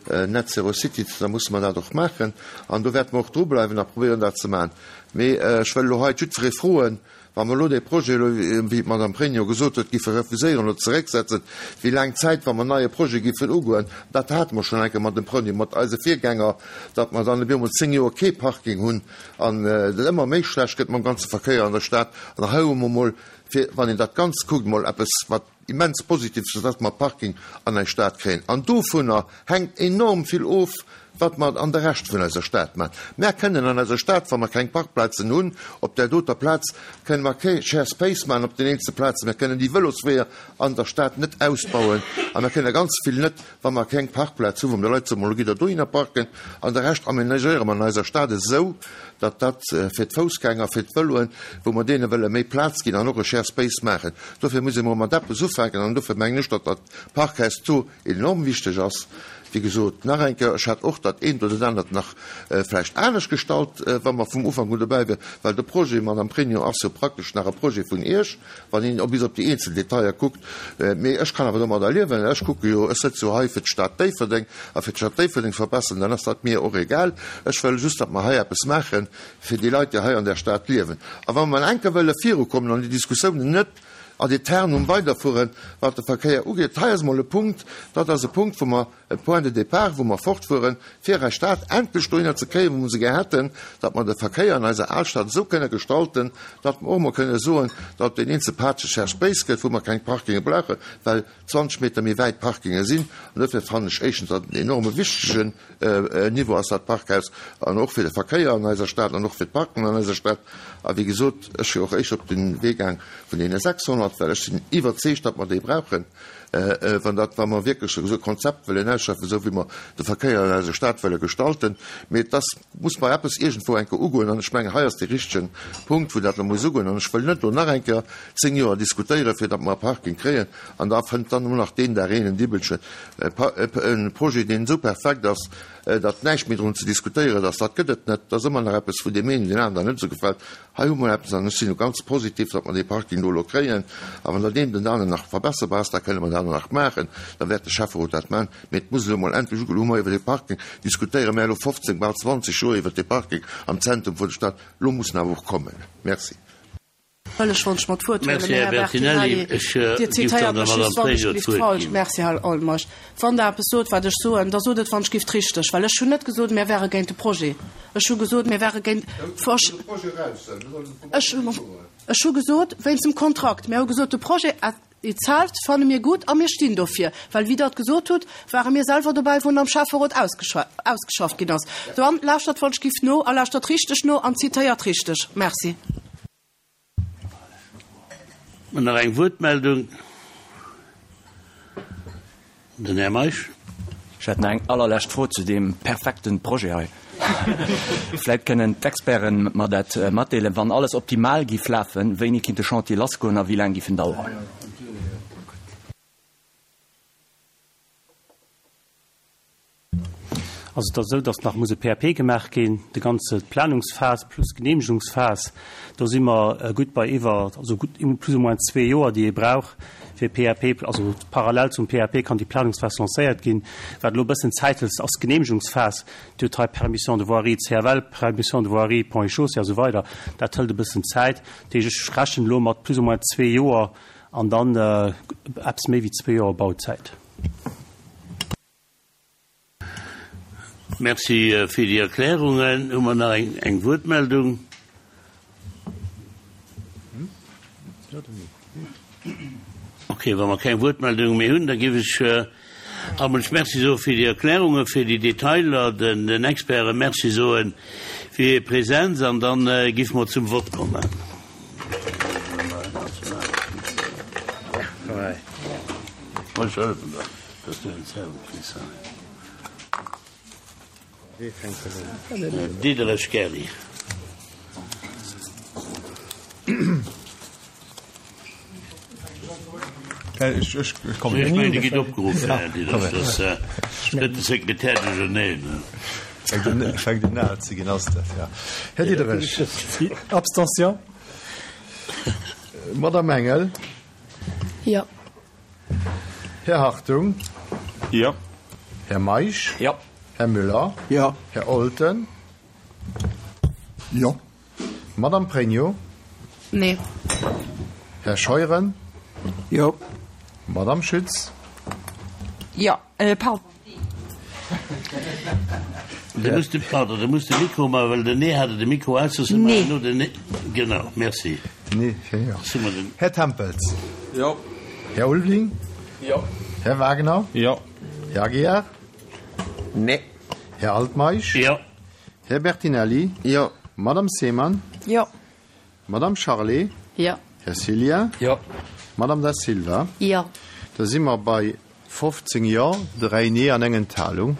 Net Zero City, da musse mer dat och maachen. An do wäerte mer och drubleiwen a probéieren, dat ze maachen. Mee ech wëll elo hei jiddweree froen, Wa mer elo dee Projet elo, wéi d'Madame Pregno gesot huet, giffe refuséieren oder zerécksetzen, wéi laang Zäit, wa mer en neie Projet giffen ugoen, dat hate mer schonn eng Kéier mat dem Pregno, mat eise Virgänger, datt mer dann op eemol zéng Joer kee Parking hunn an et ëmmer méi schlecht gëtt mam ganze Verkéier an der Stad. An hei hu mer emol, fir, wann een dat Ganzt kuckt, emol eppes, wat immens positiv ass, datt mer Parking an eis Stad kréien. An dovunner hänkt enorm vill of, wat mer an de Rescht vun eiser Stad maachen. Mär kënnen an eiser Stad, wa mer keng Parkplazen hunn, op där doter Plaz kënnen mer kee Share Space maachen op den eenzelne Plazen, mer kënnen déi Vëlosweeër an der Stad net ausbauen a mer kënnen ganz vill net, wa mer keng Parkplaz hunn, wou mer de Leit soen, Mol gitt Der dohinner parken an de Rescht amenagéiere mer an eiser Stad esou, datt dat fir d'Foussgänger, fir d'Vëloen, wou mer deene wëlle méi Plaz ginn an och e Share Space maachen. Dofir muss ee mol mat eppes ufänken an dofir mengen ech, datt dat Parkhaus do enorm wichteg ass. Wéi gesot, nach eng Kéier, ech hätt och dat eent oder dat anert nach vläicht anescht gestallt, wa mer vum Ufank un dobäi wieren, well de Projet, Madame Pregno, ass jo praktesch nach e Projet vun Iech, wann een bis op déi eenzel Detailler kuckt. Mee ech kann awer domadder liewen. Ech kucke jo, ech sëtze jo hei fir d'Stad Déifferdeng a fir d'Stad Déifferdeng ze verbessern, dann ass dat mir och egal. Ech wëll just, datt mer hei eppes maache fir déi Leit, déi hei an der Stad liewen. A wa mer eng Kéier wëlle virukommen an déi Diskussiounen net ad aeternum weiderfueren, wat de Verkéier ugeet, hei ass emol e Punkt, dat ass e Punkt, wou mer, e Point de départ, wou mer fortfueren, fir eis Stad endlech dohinner ze kréien, wou mer se gär hätten, datt mer de Verkéier an eiser Alstad esou kënne gestalten, datt mer och emol kënne soen, datt op deen eenzele Plaze Shared Space gëtt, wou mer keng Parkinge brauchen, well zwanzeg Meter méi wäit Parkinge sinn. An dofir fannen ech éischtens, datt et en enorme wichtegen Niveau ass, dat Parkhaus, an och fir de Verkéier an eiser Stad an och fir d'Parken an eiser Stad. A wéi gesot, ech wier och éischter op de Wee gaang vun deene sechshonnert, well ech sinn iwwerzeegt, datt mer déi brauchen, wann dat, wa mer wierklech esou e Konzept wëllen ausschaffen, esou wéi mer de Verkéier an eiser Stad wëlle gestalten. Mee et ass, muss mer eppes iergendwou eng Kéier ugoen, an ech mengen, hei ass dee richtegen Punkt, wou dat elo muss ugoen. An ech wëll net elo nach eng Kéier zéng Joer diskutéieren, fir datt mer e Parking kréien, an da fënnt dann elo nach deen Dag een en Dibbelchen e Projet, deen esou perfekt ass, datt näischt méi drun ze diskutéieren ass. Dat gëtt et net. Et ass ëmmer nach eppes, wou deem een oder deem aneren net esou gefält. Hei hu mer eppes, an ech sinn elo ganz positiv, datt mer dee Parking do elo kréien. A wann dat eent oder anert nach verbesserbar ass, da kënne mer dat och nach maachen. Da wäert de Schäfferot dat maachen. Mee et muss elo emol endlech ugoen. Elo hu mer iwwer dee Parking diskutéiere mer elo fofzéng, bal zwanzeg Joer iwwer dee Parking am Zentrum vun der Stad. Elo muss en awer och kommen. Merci. Wëll ech wann ech mer d'Wuert huelen, Merci, Här Här Bertinelli. Bertinelli. Ech Dir giff dann zitéiert der mech just Madame wann ech Pregno gift d'Wuert falsch. ginn. Merci, Här Olmers. Wann Der eppes sot, wat ech soen, da sot et wann ech gift richteg, well ech hunn net gesot, mir wäre géint de Projet. Ech hu gesot, mir wäre géint versch-, ech, ech hu gesot, wéinst dem Kontrakt. Mir hu gesot, de Projet itself fanne mir gutt a mir stinn dofir, well wéi Der et gesot hutt, ware mir selwer dobäi, wou en am Schäfferot ausgeschafft ginn ass. Dann lauschtert wann ech gift no a lauschtert richteg no an zitéiert richteg. Merci. Nach eng Wuertmeldung? Den Här Meisch. Ech hätt nach eng allerlescht Fro zu deem perfekten Projet hei. Vläit kënnen d'Experten mer dat matdeelen. Wann alles optimal giff lafen, wéini kinnt de Chantier lassgoen a wéi laang giff en daueren? Also et ass esou, datt nach muss e P A P gemaach ginn, déi ganze Planungsphas plus Genehmegungsphas. Do si mer gutt bei iwwer, also gutt plus ou moins zwee Joer, déi ee brauch fir P A P, also parallel zum P A P kann déi Planungsphas lancéiert ginn. Wat elo e bëssen Zäit hëlt, ass d'Genehmegungsphas. Déi huet hei Permission de voirie C F L, Permission de voirie Ponts et Chaussées a sou weider. Dat hëlt e bëssen Zäit. Dat heescht, ech rechnen elo mat plus ou moins zwee Joer an dann eppes méi wéi zwee Joer Bauzäit. Merci fir déi Erklärungen. Hu mer nach eng, eng Wuertmeldung? Okay, wa mer keng Wuertmeldung méi hunn, da giff ech Ammels Merci soe fir déi Erklärungen, fir déi Detailer, den, den Experten Merci soen fir hir Präsenz an dann giff mer zum Vott kommen. Diderich Gerry. Ech mengen, Dir gitt opgeruff, Här Diderich, das gëtt de Sekretär duercherneen. Fänkt un al ze ginn, ass dat, ja. Här Diderich. Abstention. Madame Engel. Jo. Här Hartung. Jo. Här Meisch. Jo. Här Müller. Jo. Här Olten. Jo. Madame Pregno. Nee. Här Scheuren. Jo. Madame Schütz. Jo, äh, pardon. Du musst de, pardon, du musst de Mikro mal, well den Nee hatte de Mikro aus, so Nee. nur den Nee. Genau, merci. Nee, ja, ja. Sind wir denn? Här Tempels. Jo. Här Ulveling. Jo. Här Wagner. Jo. Här Aguiar. Nee. Här Altmeisch. Jo. Här Bertinelli. Jo. Madame Seemann. Jo. Madame Charlé. Jo. Här Cilia. Jo. Madame da Silva. Jo. Da si mer bei fofzéng Jo, dräi Nee an eng Enthalung.